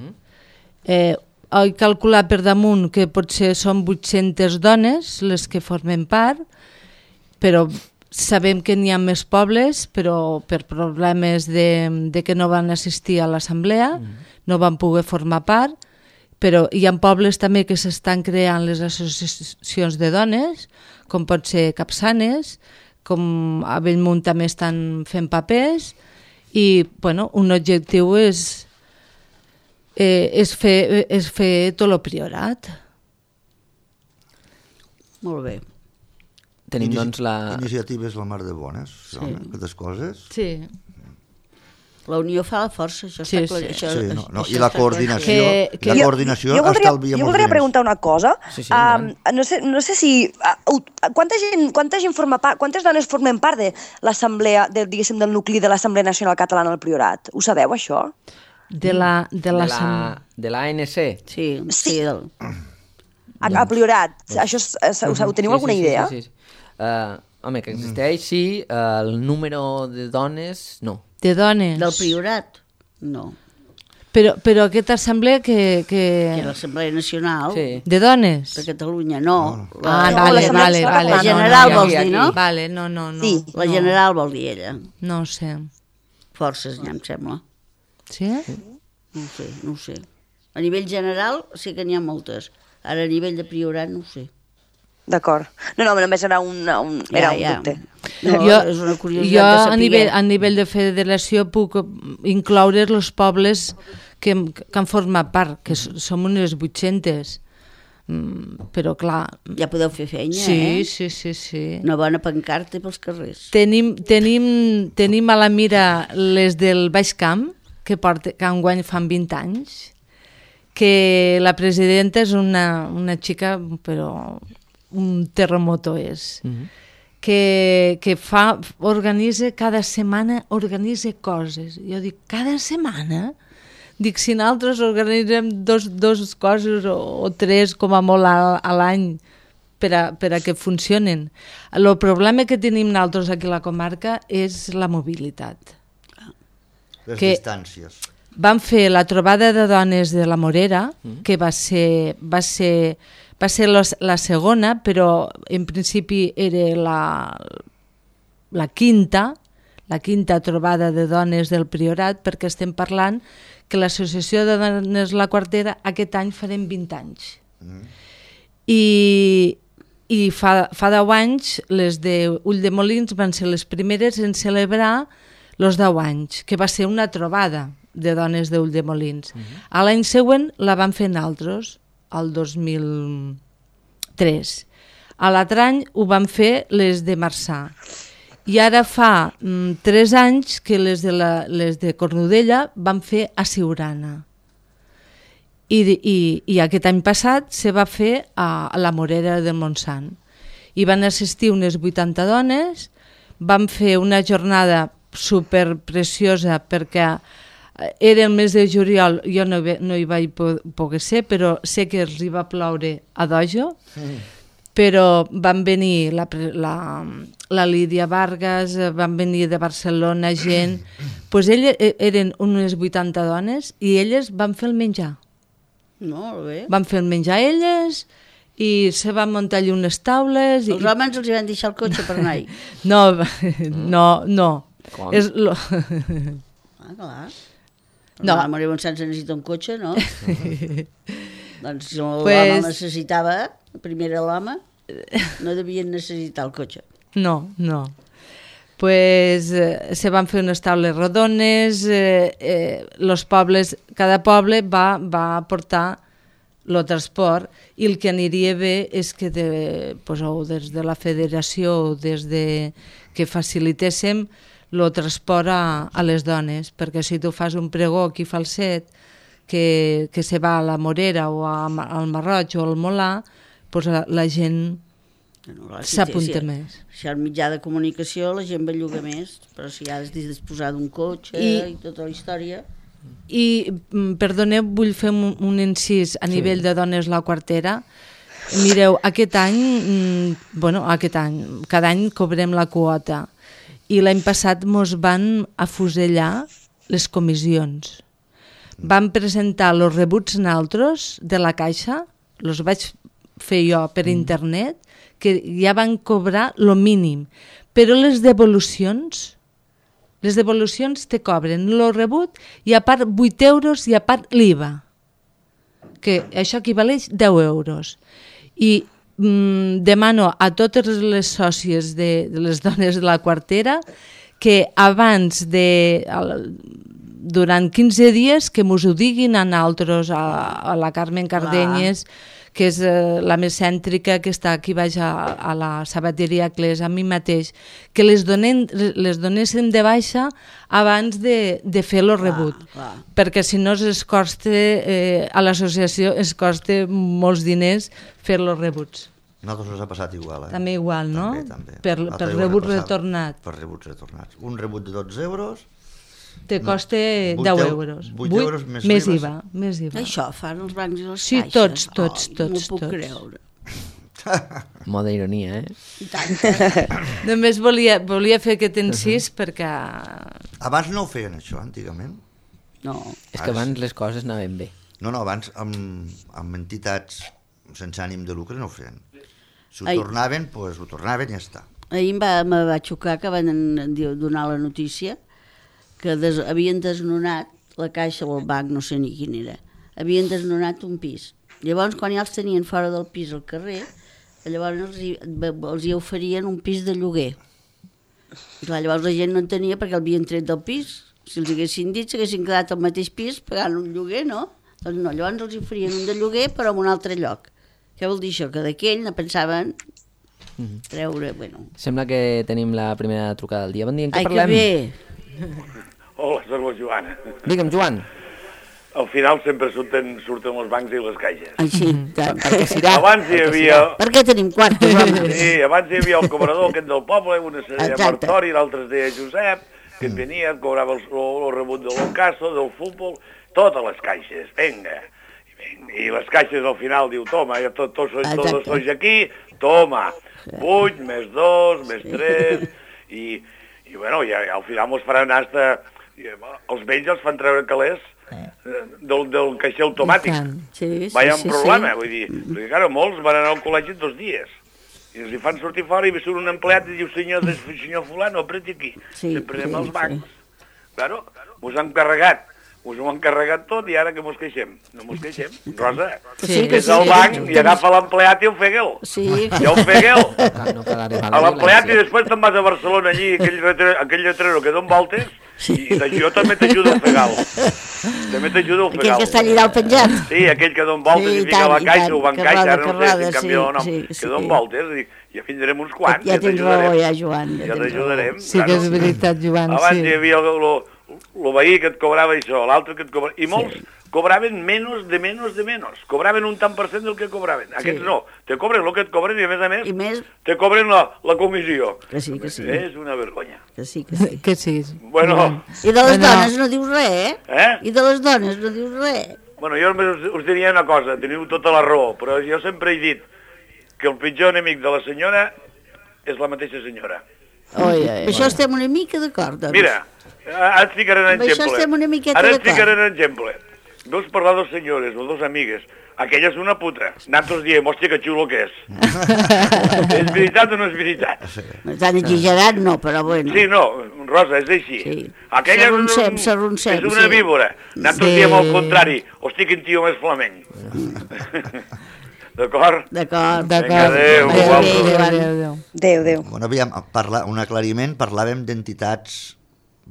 eh, he calculat per damunt que potser són vuit-centes dones les que formen part, però sabem que n'hi ha més pobles, però per problemes de, de que no van assistir a l'assemblea, no van poder formar part, però hi ha pobles també que s'estan creant les associacions de dones, com pot ser Capçanes, com a Bellmunt també estan fent papers, i bueno, un objectiu és, eh, és, fer, és fer tot el Priorat.
Molt bé.
Tenim,
Inici-
doncs, la...
Iniciatives la mar de bones, sí.
Sí.
Aquestes coses.
Sí.
La unió fa la força, això
Sí,
està clar.
sí.
Això,
Sí, no, no,
això
I la
està
coordinació,
Que- que-
la
Jo-
coordinació
jo voldria,
estalvia
jo
molts
voldria
diners.
preguntar una cosa.
Sí, sí,
um,
endavant.
no, sé, no sé si... Uh, quanta, gent, quanta gent forma part, quantes dones formen part de l'assemblea, de, diguéssim, del nucli de l'Assemblea Nacional Catalana del Priorat? Ho sabeu, això?
De la, de
De
la,
la, de l'A N C.
Sí, sí. Del...
A, a Priorat. Això és, és, ho, ho teniu
Sí,
alguna
sí, sí,
idea?
Sí, sí, sí. Uh, home, que existeix, sí. Uh, el número de dones, no.
de dones.
Del Priorat? No.
Però, però aquesta assemblea que...
Que
que...
l'Assemblea Nacional
Sí.
De dones?
de Catalunya, no.
Ah,
No,
vale,
l'Assemblea
vale,
Nacional
vale.
La
Catalana.
general
no,
vols
aquí,
dir, no?
aquí.
Vale, no, no, no.
Sí,
La
no,
general vol dir ella.
No ho sé.
Forces, ja em sembla.
Sí?
No ho sé, no ho sé. A nivell general sí que n'hi ha moltes. Ara a nivell de Priorat no ho sé.
D'acord. No, no, només era un, un, era un dubte.
No,
jo,
és una curiositat
jo
de
a
saber.
nivell, a nivell de federació puc incloure els pobles que, que han format part, que s- som unes vuit-centes. Mm, però clar...
Ja podeu fer feina,
Sí,
eh?
sí, sí, sí.
Una bona pancarta pels carrers.
Tenim, tenim, tenim a la mira les del Baix Camp, que, porta, que enguany fan vint anys, que la presidenta és una, una xica, però un terremoto és,
Mm -hmm.
que, que fa, organitza cada setmana, organitza coses. Jo dic, cada setmana? Dic, si nosaltres organitzem dos, dos coses o, o tres com a molt a, a l'any per a, per a que funcionen. El problema que tenim nosaltres aquí a la comarca és la mobilitat.
Les
que-
distàncies.
Vam fer la trobada de dones de la Morera, que va ser, va ser, va ser los, la segona, però en principi era la, la quinta, la quinta trobada de dones del Priorat, perquè estem parlant que l'Associació de Dones La Quartera aquest any farem vint anys. I, i fa, fa deu anys les de Ulldemolins van ser les primeres en celebrar els deu anys, que va ser una trobada de dones d'Ulldemolins. Uh-huh. A l'any següent la van fer naltros, el dos mil tres. A l'altre any ho van fer les de Marçà. I ara fa mm, tres anys que les de, la, les de Cornudella van fer a Siurana. I, i, I aquest any passat se va fer a, a la Morera del Montsant. I van assistir unes vuitanta dones, van fer una jornada super preciosa perquè era el mes de juliol, jo no, no hi vaig po poder ser, però sé que els hi va ploure a dojo, mm. però van venir la, la, la Lídia Vargas, van venir de Barcelona gent, pues elles eren unes vuitanta dones i elles van fer el menjar.
Molt bé.
Van fer el menjar elles i se van muntar allà unes taules.
Els
i...
homes els hi van deixar el cotxe per anar-hi.
No, no, no.
Com?
És lo...
Ah, clar.
No.
La Maria Montsant se necessita un cotxe, no? Doncs si l'home
Pues-
el necessitava, primer era l'home, no devien necessitar el cotxe.
No, no. Pues eh, se van fer unes taules rodones, eh, eh, los pobles, cada poble va, va aportar el transport i el que aniria bé és que de, pues, o des de la federació o des de que facilitéssim el transport a, a les dones, perquè si tu fas un pregó aquí falset que, que se va a la Morera o a, al Marroig o al Molà, pues la, la gent
no, si
s'apunta
si,
més.
Si hi ha un mitjà de comunicació la gent va llogar més, però si has de disposar d'un cotxe i, i tota la història...
I, perdoneu, vull fer un, un incís a nivell sí. de dones la quartera. Mireu, aquest any, bueno, aquest any, cada any cobrem la quota i l'any passat mos van afusellar les comissions. Vam presentar els rebuts naltros de la caixa, els vaig fer jo per internet, que ja van cobrar lo mínim, però les devolucions, les devolucions te cobren el rebut i a part vuit euros i a part l'I V A, que això equivaleix deu euros. I mm, demano a totes les sòcies de, de les dones de la quartera que abans de... durant quinze dies que mos ho diguin a nosaltres, a, a la Carmen Cardenyes, que és eh, la més cèntrica, que està aquí baix a, a la sabateria Clés, a mi mateix, que les, donen, les donéssim de baixa abans de, de fer el rebut, clar, clar. Perquè si no es costa, eh, a l'associació es costa molts diners fer els rebuts.
A nosaltres ens ha passat igual, eh?
També igual, no?
També, també.
Per, per rebut retornat.
Per rebuts retornats. Un rebut de dotze euros...
Te costa
no,
deu euros.
vuit euros més,
més I V A. Més I V A.
Això fan els bancs i les
sí,
caixes.
tots, tots,
oh,
tots.
No puc
tots.
creure.
Moda ironia, eh?
I tant.
Només volia, volia fer aquest incís uh-huh. perquè...
Abans no ho feien, això, antigament?
No.
És que abans les coses anaven bé.
No, no, abans amb, amb entitats sense ànim de lucre no ho feien. Si ho
Ai.
tornaven, doncs pues, ho tornaven i ja està.
Ahir em va, me va xocar que van donar la notícia que des, havien desnonat la caixa o el banc, no sé ni quin era, havien desnonat un pis. Llavors, quan ja els tenien fora del pis al carrer, llavors els hi, els hi oferien un pis de lloguer. I clar, llavors la gent no en tenia perquè l'havien tret del pis. Si els haguessin dit, s'haguessin quedat al mateix pis pagant un lloguer, no? Doncs no, llavors els oferien un de lloguer però en un altre lloc. Què vol dir això? Que d'aquell no pensaven treure, bueno...
Sembla que tenim la primera trucada del dia. Bon dia, en què
Ai,
parlem?
que bé!
Hola, soc la Joana.
Digue'm, Joan.
Al final sempre surten, surten els bancs i les caixes.
Així, tant.
Perquè serà.
Abans hi havia...
Per què tenim quartos, home?
Sí, abans hi havia el cobrador aquest del poble, una es deia
Exacte.
Martori, l'altre es deia Josep, que et venia, et cobrava el, el rebut de l'Ocaso, del futbol, totes les caixes, venga. I les caixes al final diu, toma, ja tot, tot, tot, tot sois aquí, toma, vuit, més dos, més tres, i, i bueno, i al final mos faran hasta... Els vells els fan treure calés del, del caixer automàtic.
Sí, sí,
Vaya
sí,
un problema,
sí.
vull dir, perquè claro, molts van anar al col·legi dos dies, i els hi fan sortir fora i surt un empleat i diu, senyor, senyor fulano, apreti aquí,
Sí,
sempre anem
sí,
als bancs.
sí.
Claro, mos han carregat, us ho han carregat tot i ara que mos queixem. No mos queixem, Rosa.
Sí, que
és
sí,
al
que
banc
sí.
i agafa l'empleat i el feguel.
Sí.
I el feguel.
No cal arribar
A
la
l'empleat i
violència.
després te'n vas a Barcelona allí, aquell, retre, aquell lletrero que don voltes,
Sí.
i jo també t'ajudo el fegal. També t'ajudo el
Aquell
fegal.
que està allà al penjat.
Sí, aquell que don voltes
Sí,
i
i
fica
tant,
la
i
caixa,
tant,
ho van
que
caixa,
roda,
ara no
que
sé si
roda,
en canvia
sí,
o no.
sí,
Que
sí.
don voltes, dic, ja tindrem uns quants,
Ja
ja
tens raó,
t'ajudarem.
ja, Joan.
Ja
tens
t'ajudarem.
Sí que és veritat, Joan,
Abans
sí.
hi havia el, el, el veí que et cobrava això, l'altre que et cobrava... I molts sí. cobraven menys de menys de menys. Cobraven un tant per cent del que cobraven. Aquests
Sí.
no. Te cobren el que et cobren i a més a més,
I més,
te cobren la, la comissió.
que sí, que sí.
És una vergonya.
Que sí, que sí.
Que sí.
Bueno,
I de les
Bueno.
dones no dius res, eh?
eh?
I de les dones no dius res.
Bueno, jo només us, us diria una cosa, teniu tota la raó, però jo sempre he dit que el pitjor enemic de la senyora és la mateixa senyora.
Oi, oi, això estem una mica d'acord, doncs.
Mira, ara et ficaré un
Amb això
exemple.
estem una miqueta
Ara et
d'acord.
ficaré un exemple. Dos parlar dos senyores o dos amigues. Aquella és una puta. Nosaltres diem, hòstia, que xulo que és. És veritat o no és veritat?
Tan exagerat no, però bueno.
Sí, no, Rosa, és així.
Sí.
Aquella és,
S'arroncem,
un,
s'arroncem,
és una
sí.
víbora. Nosaltres
Sí.
diem al contrari, hòstia, quin tio més flamenc. D'acord?
D'acord.
Vinga, adéu.
Adéu,
guapos.
adéu.
adéu.
Déu, Déu.
Bueno, aviam, parla, un aclariment, parlàvem d'entitats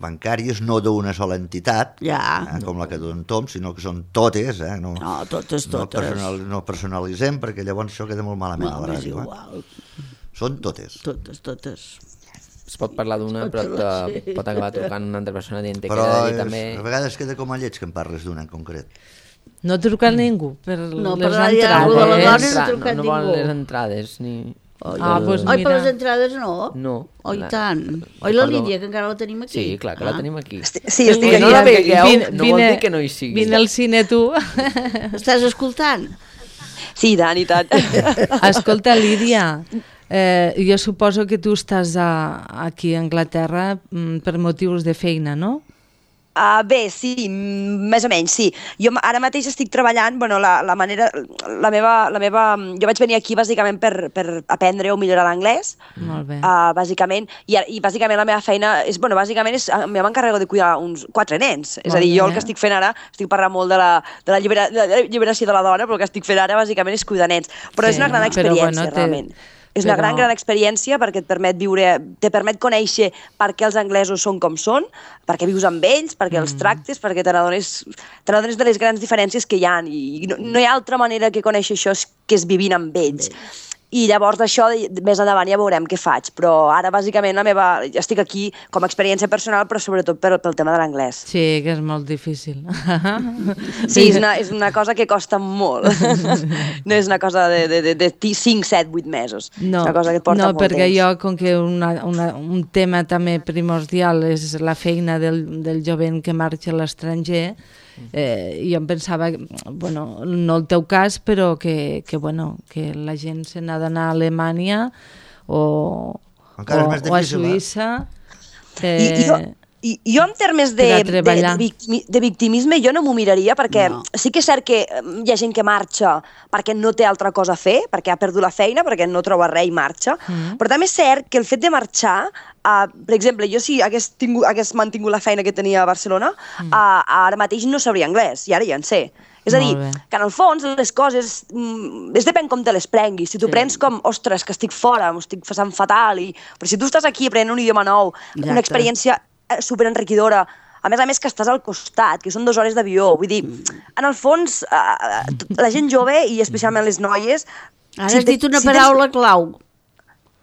bancàries, no d'una sola entitat,
Ja.
eh, com la que d'un Tom, sinó que són totes, eh? No,
No, totes,
no,
totes.
personal, no personalitzem, perquè llavors això queda molt malament
No,
a la
és
ràdio. Eh?
igual.
Són totes.
Totes, totes.
Es pot parlar d'una, però te, pot acabar trucant una altra persona dient que
Però
queda
és,
i també...
a vegades queda com a lleig que em parles d'una en concret.
No truca ningú per
No,
les
per la dia
entrades.
de la dona no
Entra-
trucat
no, no volen
ningú.
les entrades, ni...
Oi,
Ah, doncs
Oi, per
mira.
les entrades no?
No.
Oi,
La-
tant. Oi, la
Recordo-
Lídia, que encara la tenim aquí?
Sí, clar, que la
Ah.
tenim aquí.
Esti- Sí, estic
Que
aquí.
no la
Vine-
veigueu,
vine-
no vol dir que no hi sigui.
Vine al cine tu.
Estàs escoltant?
Sí, i tant, i tant.
Escolta, Lídia, eh, jo suposo que tu estàs a, aquí a Anglaterra mm, per motius de feina, no?
Uh, bé, sí, mm, més o menys, sí. Jo m- ara mateix estic treballant, bueno, la, la manera, la meva, la meva, jo vaig venir aquí bàsicament per, per aprendre o millorar l'anglès,
Molt bé.
uh, bàsicament, i, ara- i bàsicament la meva feina és, bueno, bàsicament és, jo m'encarrego de cuidar uns quatre nens, és a dir, jo el que estic fent ara, estic parlant molt de la, de la, llibera, de la lliberació de la dona, però el que estic fent ara bàsicament és cuidar nens, però
Sí,
és una gran
però
experiència,
bueno, té-
realment. És una
però-
gran, gran experiència perquè et permet viure, te permet conèixer per què els anglesos són com són, perquè vius amb ells, perquè els tractes, perquè te n'adones te n'adones de les grans diferències que hi ha i no, no hi ha altra manera que conèixer això que és vivint amb ells. I llavors d'això, de- més endavant ja veurem què faig, però ara bàsicament la meva, estic aquí com a experiència personal, però sobretot per, pel tema de l'anglès.
Sí, que és molt difícil.
Sí, és una, és una cosa que costa molt. No és una cosa de, de, de, de cinc, set, vuit mesos.
No,
és una cosa que et porta
no
molt
perquè
temps.
jo, com que una, una, un tema també primordial és la feina del, del jovent que marxa a l'estranger, eh, jo em pensava, bueno, no el teu cas, però que, que, bueno, que la gent se n'ha d'anar a Alemanya o,
Encara és
o,
més
o a
difícil, eh?
Suïssa.
I,
Eh,
i jo, i, jo en termes de,
per a
de,
treballar.
de, victimi, de victimisme jo no m'ho miraria perquè
No.
sí que és cert que eh, hi ha gent que marxa perquè no té altra cosa a fer, perquè ha perdut la feina, perquè no troba res i marxa, mm. però també és cert que el fet de marxar, uh, per exemple, jo si hagués, tingut, hagués mantingut la feina que tenia a Barcelona, mm. uh, ara mateix no sabria anglès, i ara ja en sé. És a dir,
Molt bé.
que en el fons les coses, mm, és depèn com te les prenguis. Si tu
Sí.
prens com, ostres, que estic fora, m'ho estic passant fatal, i... però si tu estàs aquí aprenent un idioma nou,
Exacte.
una experiència eh, superenriquidora, a més a més que estàs al costat, que són dues hores d'avió, vull dir, en el fons, eh, la gent jove, i especialment les noies...
Ara
si
has
te-
dit una
si tens-
paraula clau.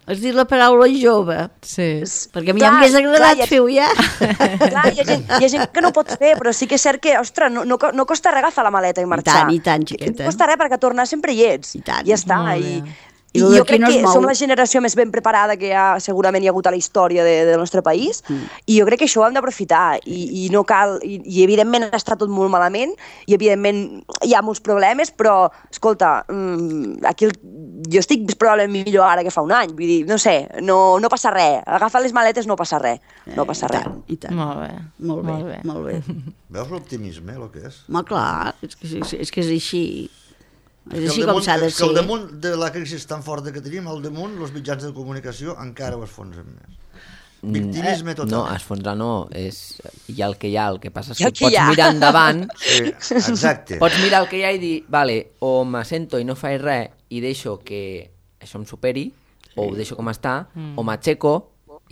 Has dit la paraula jove.
sí.
Perquè a mi
Clar,
m'hagués agradat
clar, ja-
fer-ho ja.
Clar, hi ha, gent, hi ha gent que no ho pot fer, però sí que és cert que, ostres, no, no, co- no costa res agafar la maleta i marxar.
tant, i tant, xiqueta.
No costa res, perquè a tornar sempre hi ets.
I tant.
Ja està.
Molt
I,
bé.
i
I lo
jo
d'aquí
crec
no es
que
mou.
som la generació més ben preparada que ha, segurament hi ha hagut a la història de, del nostre país, mm. i jo crec que això ho hem d'aprofitar, i, i no cal, i, i evidentment està tot molt malament, i evidentment hi ha molts problemes, però, escolta, mm, aquí el, jo estic probablement millor ara que fa un any, vull dir, no sé, no, no passa res, agafar les maletes no passa res, no passa
I
res.
tant, i tant.
Molt bé.
Molt bé,
Molt bé.
molt bé.
Veus l'optimisme, el que és?
Home, clar, és que, és, és que és així. És
Que
així
al
com
damunt-
s'ha de
és que al
ser.
damunt de la crisi tan forta que tenim, al damunt, els mitjans de comunicació encara ho esfonsen més. Victimisme total.
No, esfondrar no, és hi ha el que hi ha, el que passa és
Hi ha
que
el que
pots
hi ha.
mirar endavant,
Sí, exacte.
pots mirar el que hi ha i dir, vale, o m'assento i no faig res i deixo que això em superi, o ho deixo com està, mm. o m'aixeco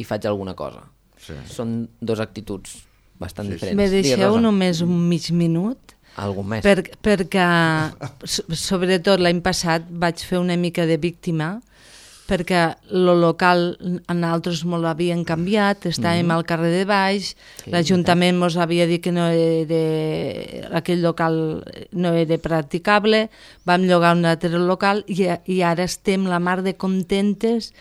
i faig alguna cosa.
Sí.
Són dos actituds bastant
Sí, sí.
diferents.
Me
Digues,
deixeu
Rosa.
només un mig minut?
Algun més.
Per, perquè, so- sobretot l'any passat, vaig fer una mica de víctima, perquè lo local a nosaltres molt l'havien canviat, estàvem mm. al carrer de baix,
Sí,
l'Ajuntament ens havia dit que no era, aquell local no era practicable, vam llogar un altre local i, i ara estem la mar de contentes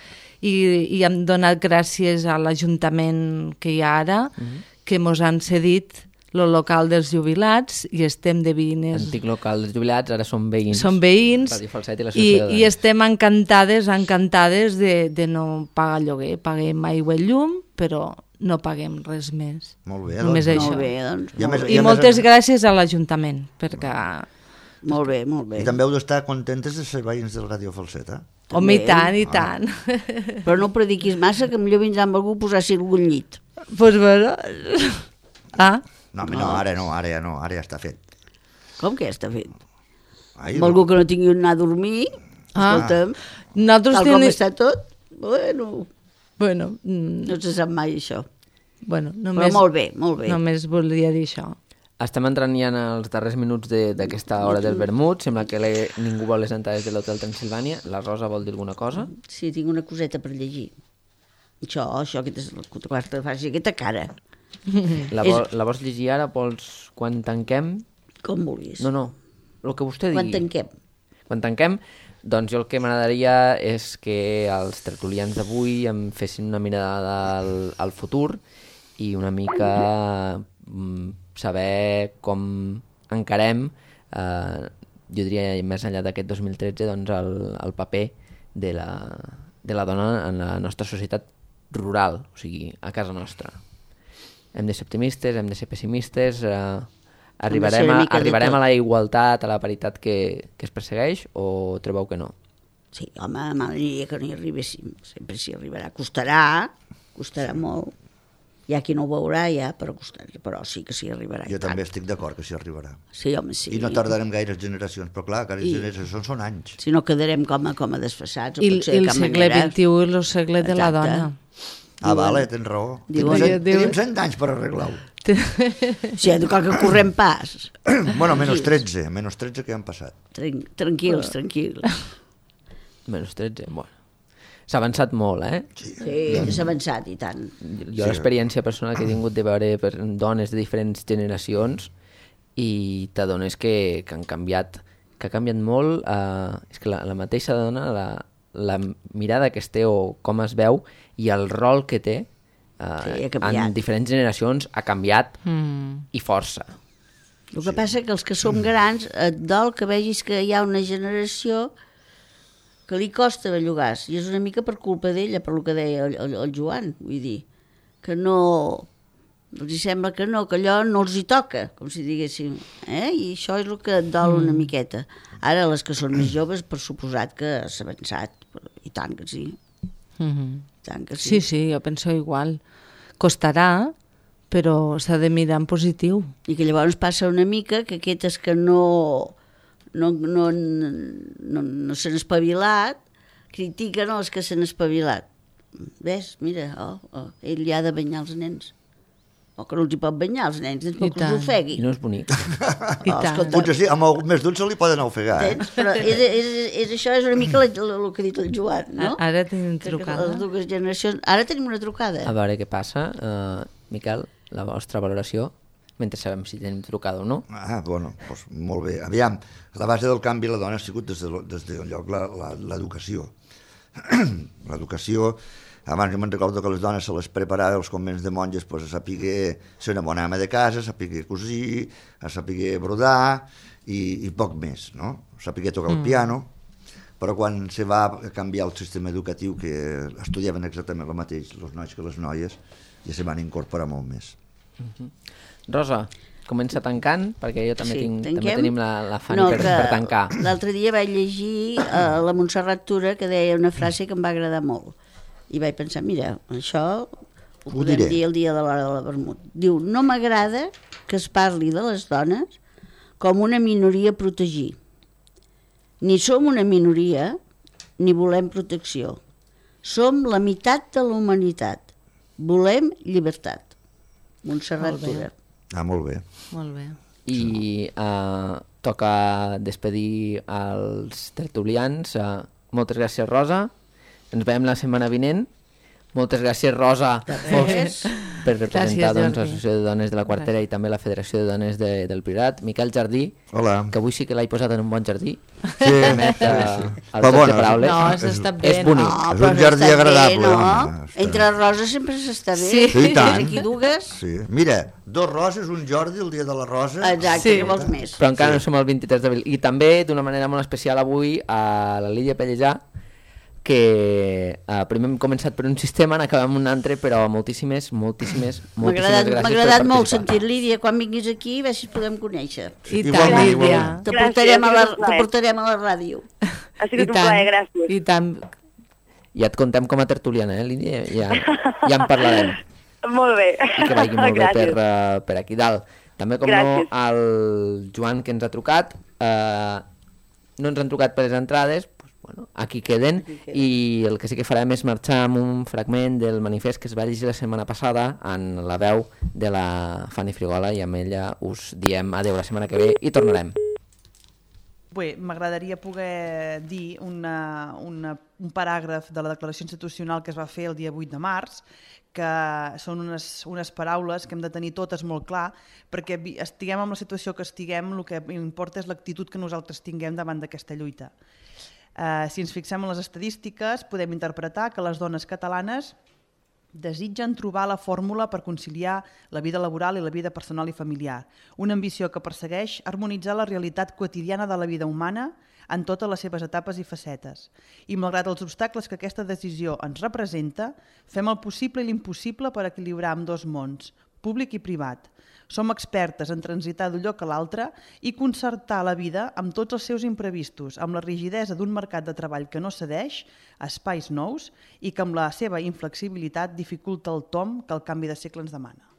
i, i hem donat gràcies a l'Ajuntament que hi ha ara, mm. que ens han cedit el local dels jubilats i estem de veïnes.
Antic local dels jubilats, ara són veïns.
Són veïns
Ràdio Falset i
i,
l'associació de
i estem encantades, encantades de, de no pagar lloguer. Paguem aigua i llum, però no paguem res més.
Molt bé,
Només
doncs.
això.
Molt bé, doncs.
I a
molt
més-
bé.
I,
a
moltes
més-
gràcies a l'Ajuntament, perquè...
Molt bé, molt bé.
I també heu d'estar contentes de ser veïns del Ràdio Falseta.
Home, i
També.
tant, i tant.
Però no prediquis massa, que millor vindrà amb algú a posar-s'hi algun llit.
Doncs pues, bueno... Ah,
No, home, no, ara no, ara ja no, ara ja està fet.
Com que ja està fet?
Ai,
amb algú que no tingui on anar a dormir,
Ah.
escolta'm,
Nosaltres
tal com
tenim...
està tot, bueno,
Bueno, mm,
no se sap mai això.
bueno,
Però
només,
molt bé, molt bé.
només volia dir això.
Estem entrant ja en els darrers minuts de- d'aquesta hora del vermut. Sembla que le- ningú vol les entrades de l'Hotel Transilvània. La Rosa vol dir alguna cosa?
Sí, tinc una coseta per llegir. Això, això, aquesta, aquesta, faci aquesta cara,
La,
És-
vol, la vols llegir ara? Vols quan tanquem?
com vulguis.
No, no, el que vostè digui.
Quan tanquem?
Quan tanquem, doncs jo el que m'agradaria és que els tertulians d'avui em fessin una mirada al, al futur i una mica mm, saber com encarem, eh, jo diria més enllà d'aquest dos mil tretze, doncs el, el paper de la, de la dona en la nostra societat rural, o sigui, a casa nostra. Hem de ser optimistes, hem de ser pessimistes, eh, arribarem,
una
a,
mica de
arribarem
tot.
a la igualtat, a la paritat que, que es persegueix, o trobeu que no?
Sí, home, m'agradaria que no hi arribéssim. Sempre s'hi arribarà. Costarà, costarà molt. Hi ha qui no ho veurà ja, però, costarà, però sí que s'hi arribarà.
Jo també estic d'acord que s'hi arribarà.
Sí, home, sí.
I no tardarem gaires generacions, però clar, gaires
I-
generacions són anys.
Si no quedarem com a, com a desfassats. o
I,
pot ser
i
de
el
cap
segle
manera.
vint-i-u és el segle de la
Exacte.
dona.
Ah, vale, tens raó.
Diuen-
Tenim cent-
diuen-
Tenim cent anys per arreglar-ho.
Sí, cal que correm pas.
Bueno, menys tretze, menys tretze que han passat.
Tran tranquils, tranquils.
Menys tretze, bueno. S'ha avançat molt, eh?
Sí, s'ha avançat i tant.
Jo l'experiència personal que he tingut de veure per dones de diferents generacions i t'adones que, que han canviat, que ha canviat molt, eh, és que la, la mateixa dona, la, la mirada que es té o com es veu i el rol que té eh,
Sí, ha canviat.
en diferents generacions ha canviat
Mm.
i força.
El que passa que els que som grans et dol que vegis que hi ha una generació que li costa bellugar, i és una mica per culpa d'ella, per lo que deia el, el, el Joan, vull dir, que no, els hi sembla que no, que allò no els hi toca, com si diguéssim, eh? I això és el que et dol una miqueta. Ara, les que són més joves, per suposat que s'ha avançat, però- i tant que sí,
Mhm.
i tant que
Sí,
sí.
sí, jo penso igual. Costarà, però s'ha de mirar en positiu.
I que llavors passa una mica que aquestes que no, no, no, no, no s'han espavilat, critiquen els que s'han espavilat. Ves, mira, oh, oh, ell li ha de banyar els nens. O que no els hi pot banyar els nens, nens
I
perquè els
tant.
ofegui.
I no és bonic.
I
Oh,
tant.
escolta,
Potser sí, amb el més d'un se li poden ofegar, eh?
Tens? Però és, és, és, això és una mica el que ha dit el Joan, no?
A- Ara tenim
Que- que
trucada.
Les dues generacions... Ara tenim una trucada.
A veure què passa. Uh, Miquel, la vostra valoració, mentre sabem si tenim trucada o no.
Ah, bueno, doncs molt bé. Aviam, la base del canvi a la dona ha sigut des de, lo- des d'un lloc la- la- l'educació. L'educació, abans jo me'n recordo que les dones se les preparava als convents de monges pues, a saber ser una bona ama de casa, a saber cosir, a saber brodar i, i poc més, no? A saber tocar el piano, però quan se va canviar el sistema educatiu, que estudiaven exactament el mateix, els nois que les noies, ja se van incorporar molt més.
Rosa, comença tancant, perquè jo també,
Sí,
tinc, també
tanquem?
tenim la, la Fanny per, per tancar.
L'altre dia vaig llegir uh, la Montserrat Tura, que deia una frase que em va agradar molt. I vaig pensar, mira, això ho,
Ho
podem
diré.
dir el dia de l'hora de la vermut. Diu, no m'agrada que es parli de les dones com una minoria a protegir. Ni som una minoria, ni volem protecció. Som la meitat de la humanitat. Volem llibertat. Montserrat
Molt bé.
Tura.
Ah, molt bé.
Molt bé.
I uh, toca despedir els tertulians. Uh, moltes gràcies, Rosa. Ens veiem la setmana vinent. Moltes gràcies, Rosa,
res.
per representar
Gràcies,
doncs,
Jordi.
l'Associació de Dones de la Quartera i també la Federació de Dones de, del Priorat. Miquel Jardí,
Hola.
que avui sí que l'he posat en un bon jardí.
Sí,
Permet, uh,
sí.
el
Però
joc
bueno,
de paraules.
No, has estat bé.
És bonic.
No,
És
però
un jardí
s'està bé,
agradable,
no?
home, està-
Entre roses sempre s'està bé.
Sí.
Sí, i tant.
Aquí dues.
Sí. Mira, dos roses, un Jordi, el dia de la rosa.
Exacte,
Sí.
què vols més?
Però encara no som el vint-i-tres d'abril. I també, d'una manera molt especial avui, a la Lídia Pellejà, que eh, primer hem començat per un sistema, en acabem un altre, però moltíssimes, moltíssimes,
M'ha
moltíssimes
agradat,
gràcies
m'ha
per
agradat molt
participar.
sentir Lídia quan vinguis aquí, a veure si et podem conèixer.
I tant,
Igualment,
Lídia.
igualment.
Te
Gràcies,
portarem, a la,
ha sigut un
te
plaer.
portarem a la ràdio.
Ha sigut un plaer, gràcies.
I tant.
Ja et contem com a tertuliana, eh, Lídia? Ja, ja en parlarem.
Molt bé.
I que vagi molt bé per,
Gràcies.
uh, per aquí dalt. També, com no,
Gràcies.
el Joan, que ens ha trucat, eh, no ens han trucat per les entrades, pues, bueno, aquí queden, aquí queden, i el que sí que farem és marxar amb un fragment del manifest que es va llegir la setmana passada en la veu de la Fanny Frigola, i amb ella us diem adeu la setmana que ve i tornarem.
Bé, m'agradaria poder dir una, una, un paràgraf de la declaració institucional que es va fer el dia vuit de març, que són unes, unes paraules que hem de tenir totes molt clar, perquè estiguem en la situació que estiguem, el que importa és l'actitud que nosaltres tinguem davant d'aquesta lluita. Eh, si ens fixem en les estadístiques, podem interpretar que les dones catalanes desitgen trobar la fórmula per conciliar la vida laboral i la vida personal i familiar, una ambició que persegueix harmonitzar la realitat quotidiana de la vida humana en totes les seves etapes i facetes. I malgrat els obstacles que aquesta decisió ens representa, fem el possible i l'impossible per equilibrar amb dos mons, públic i privat. Som expertes en transitar d'un lloc a l'altre i concertar la vida amb tots els seus imprevistos, amb la rigidesa d'un mercat de treball que no cedeix a espais nous i que amb la seva inflexibilitat dificulta el tomb que el canvi de segle ens demana.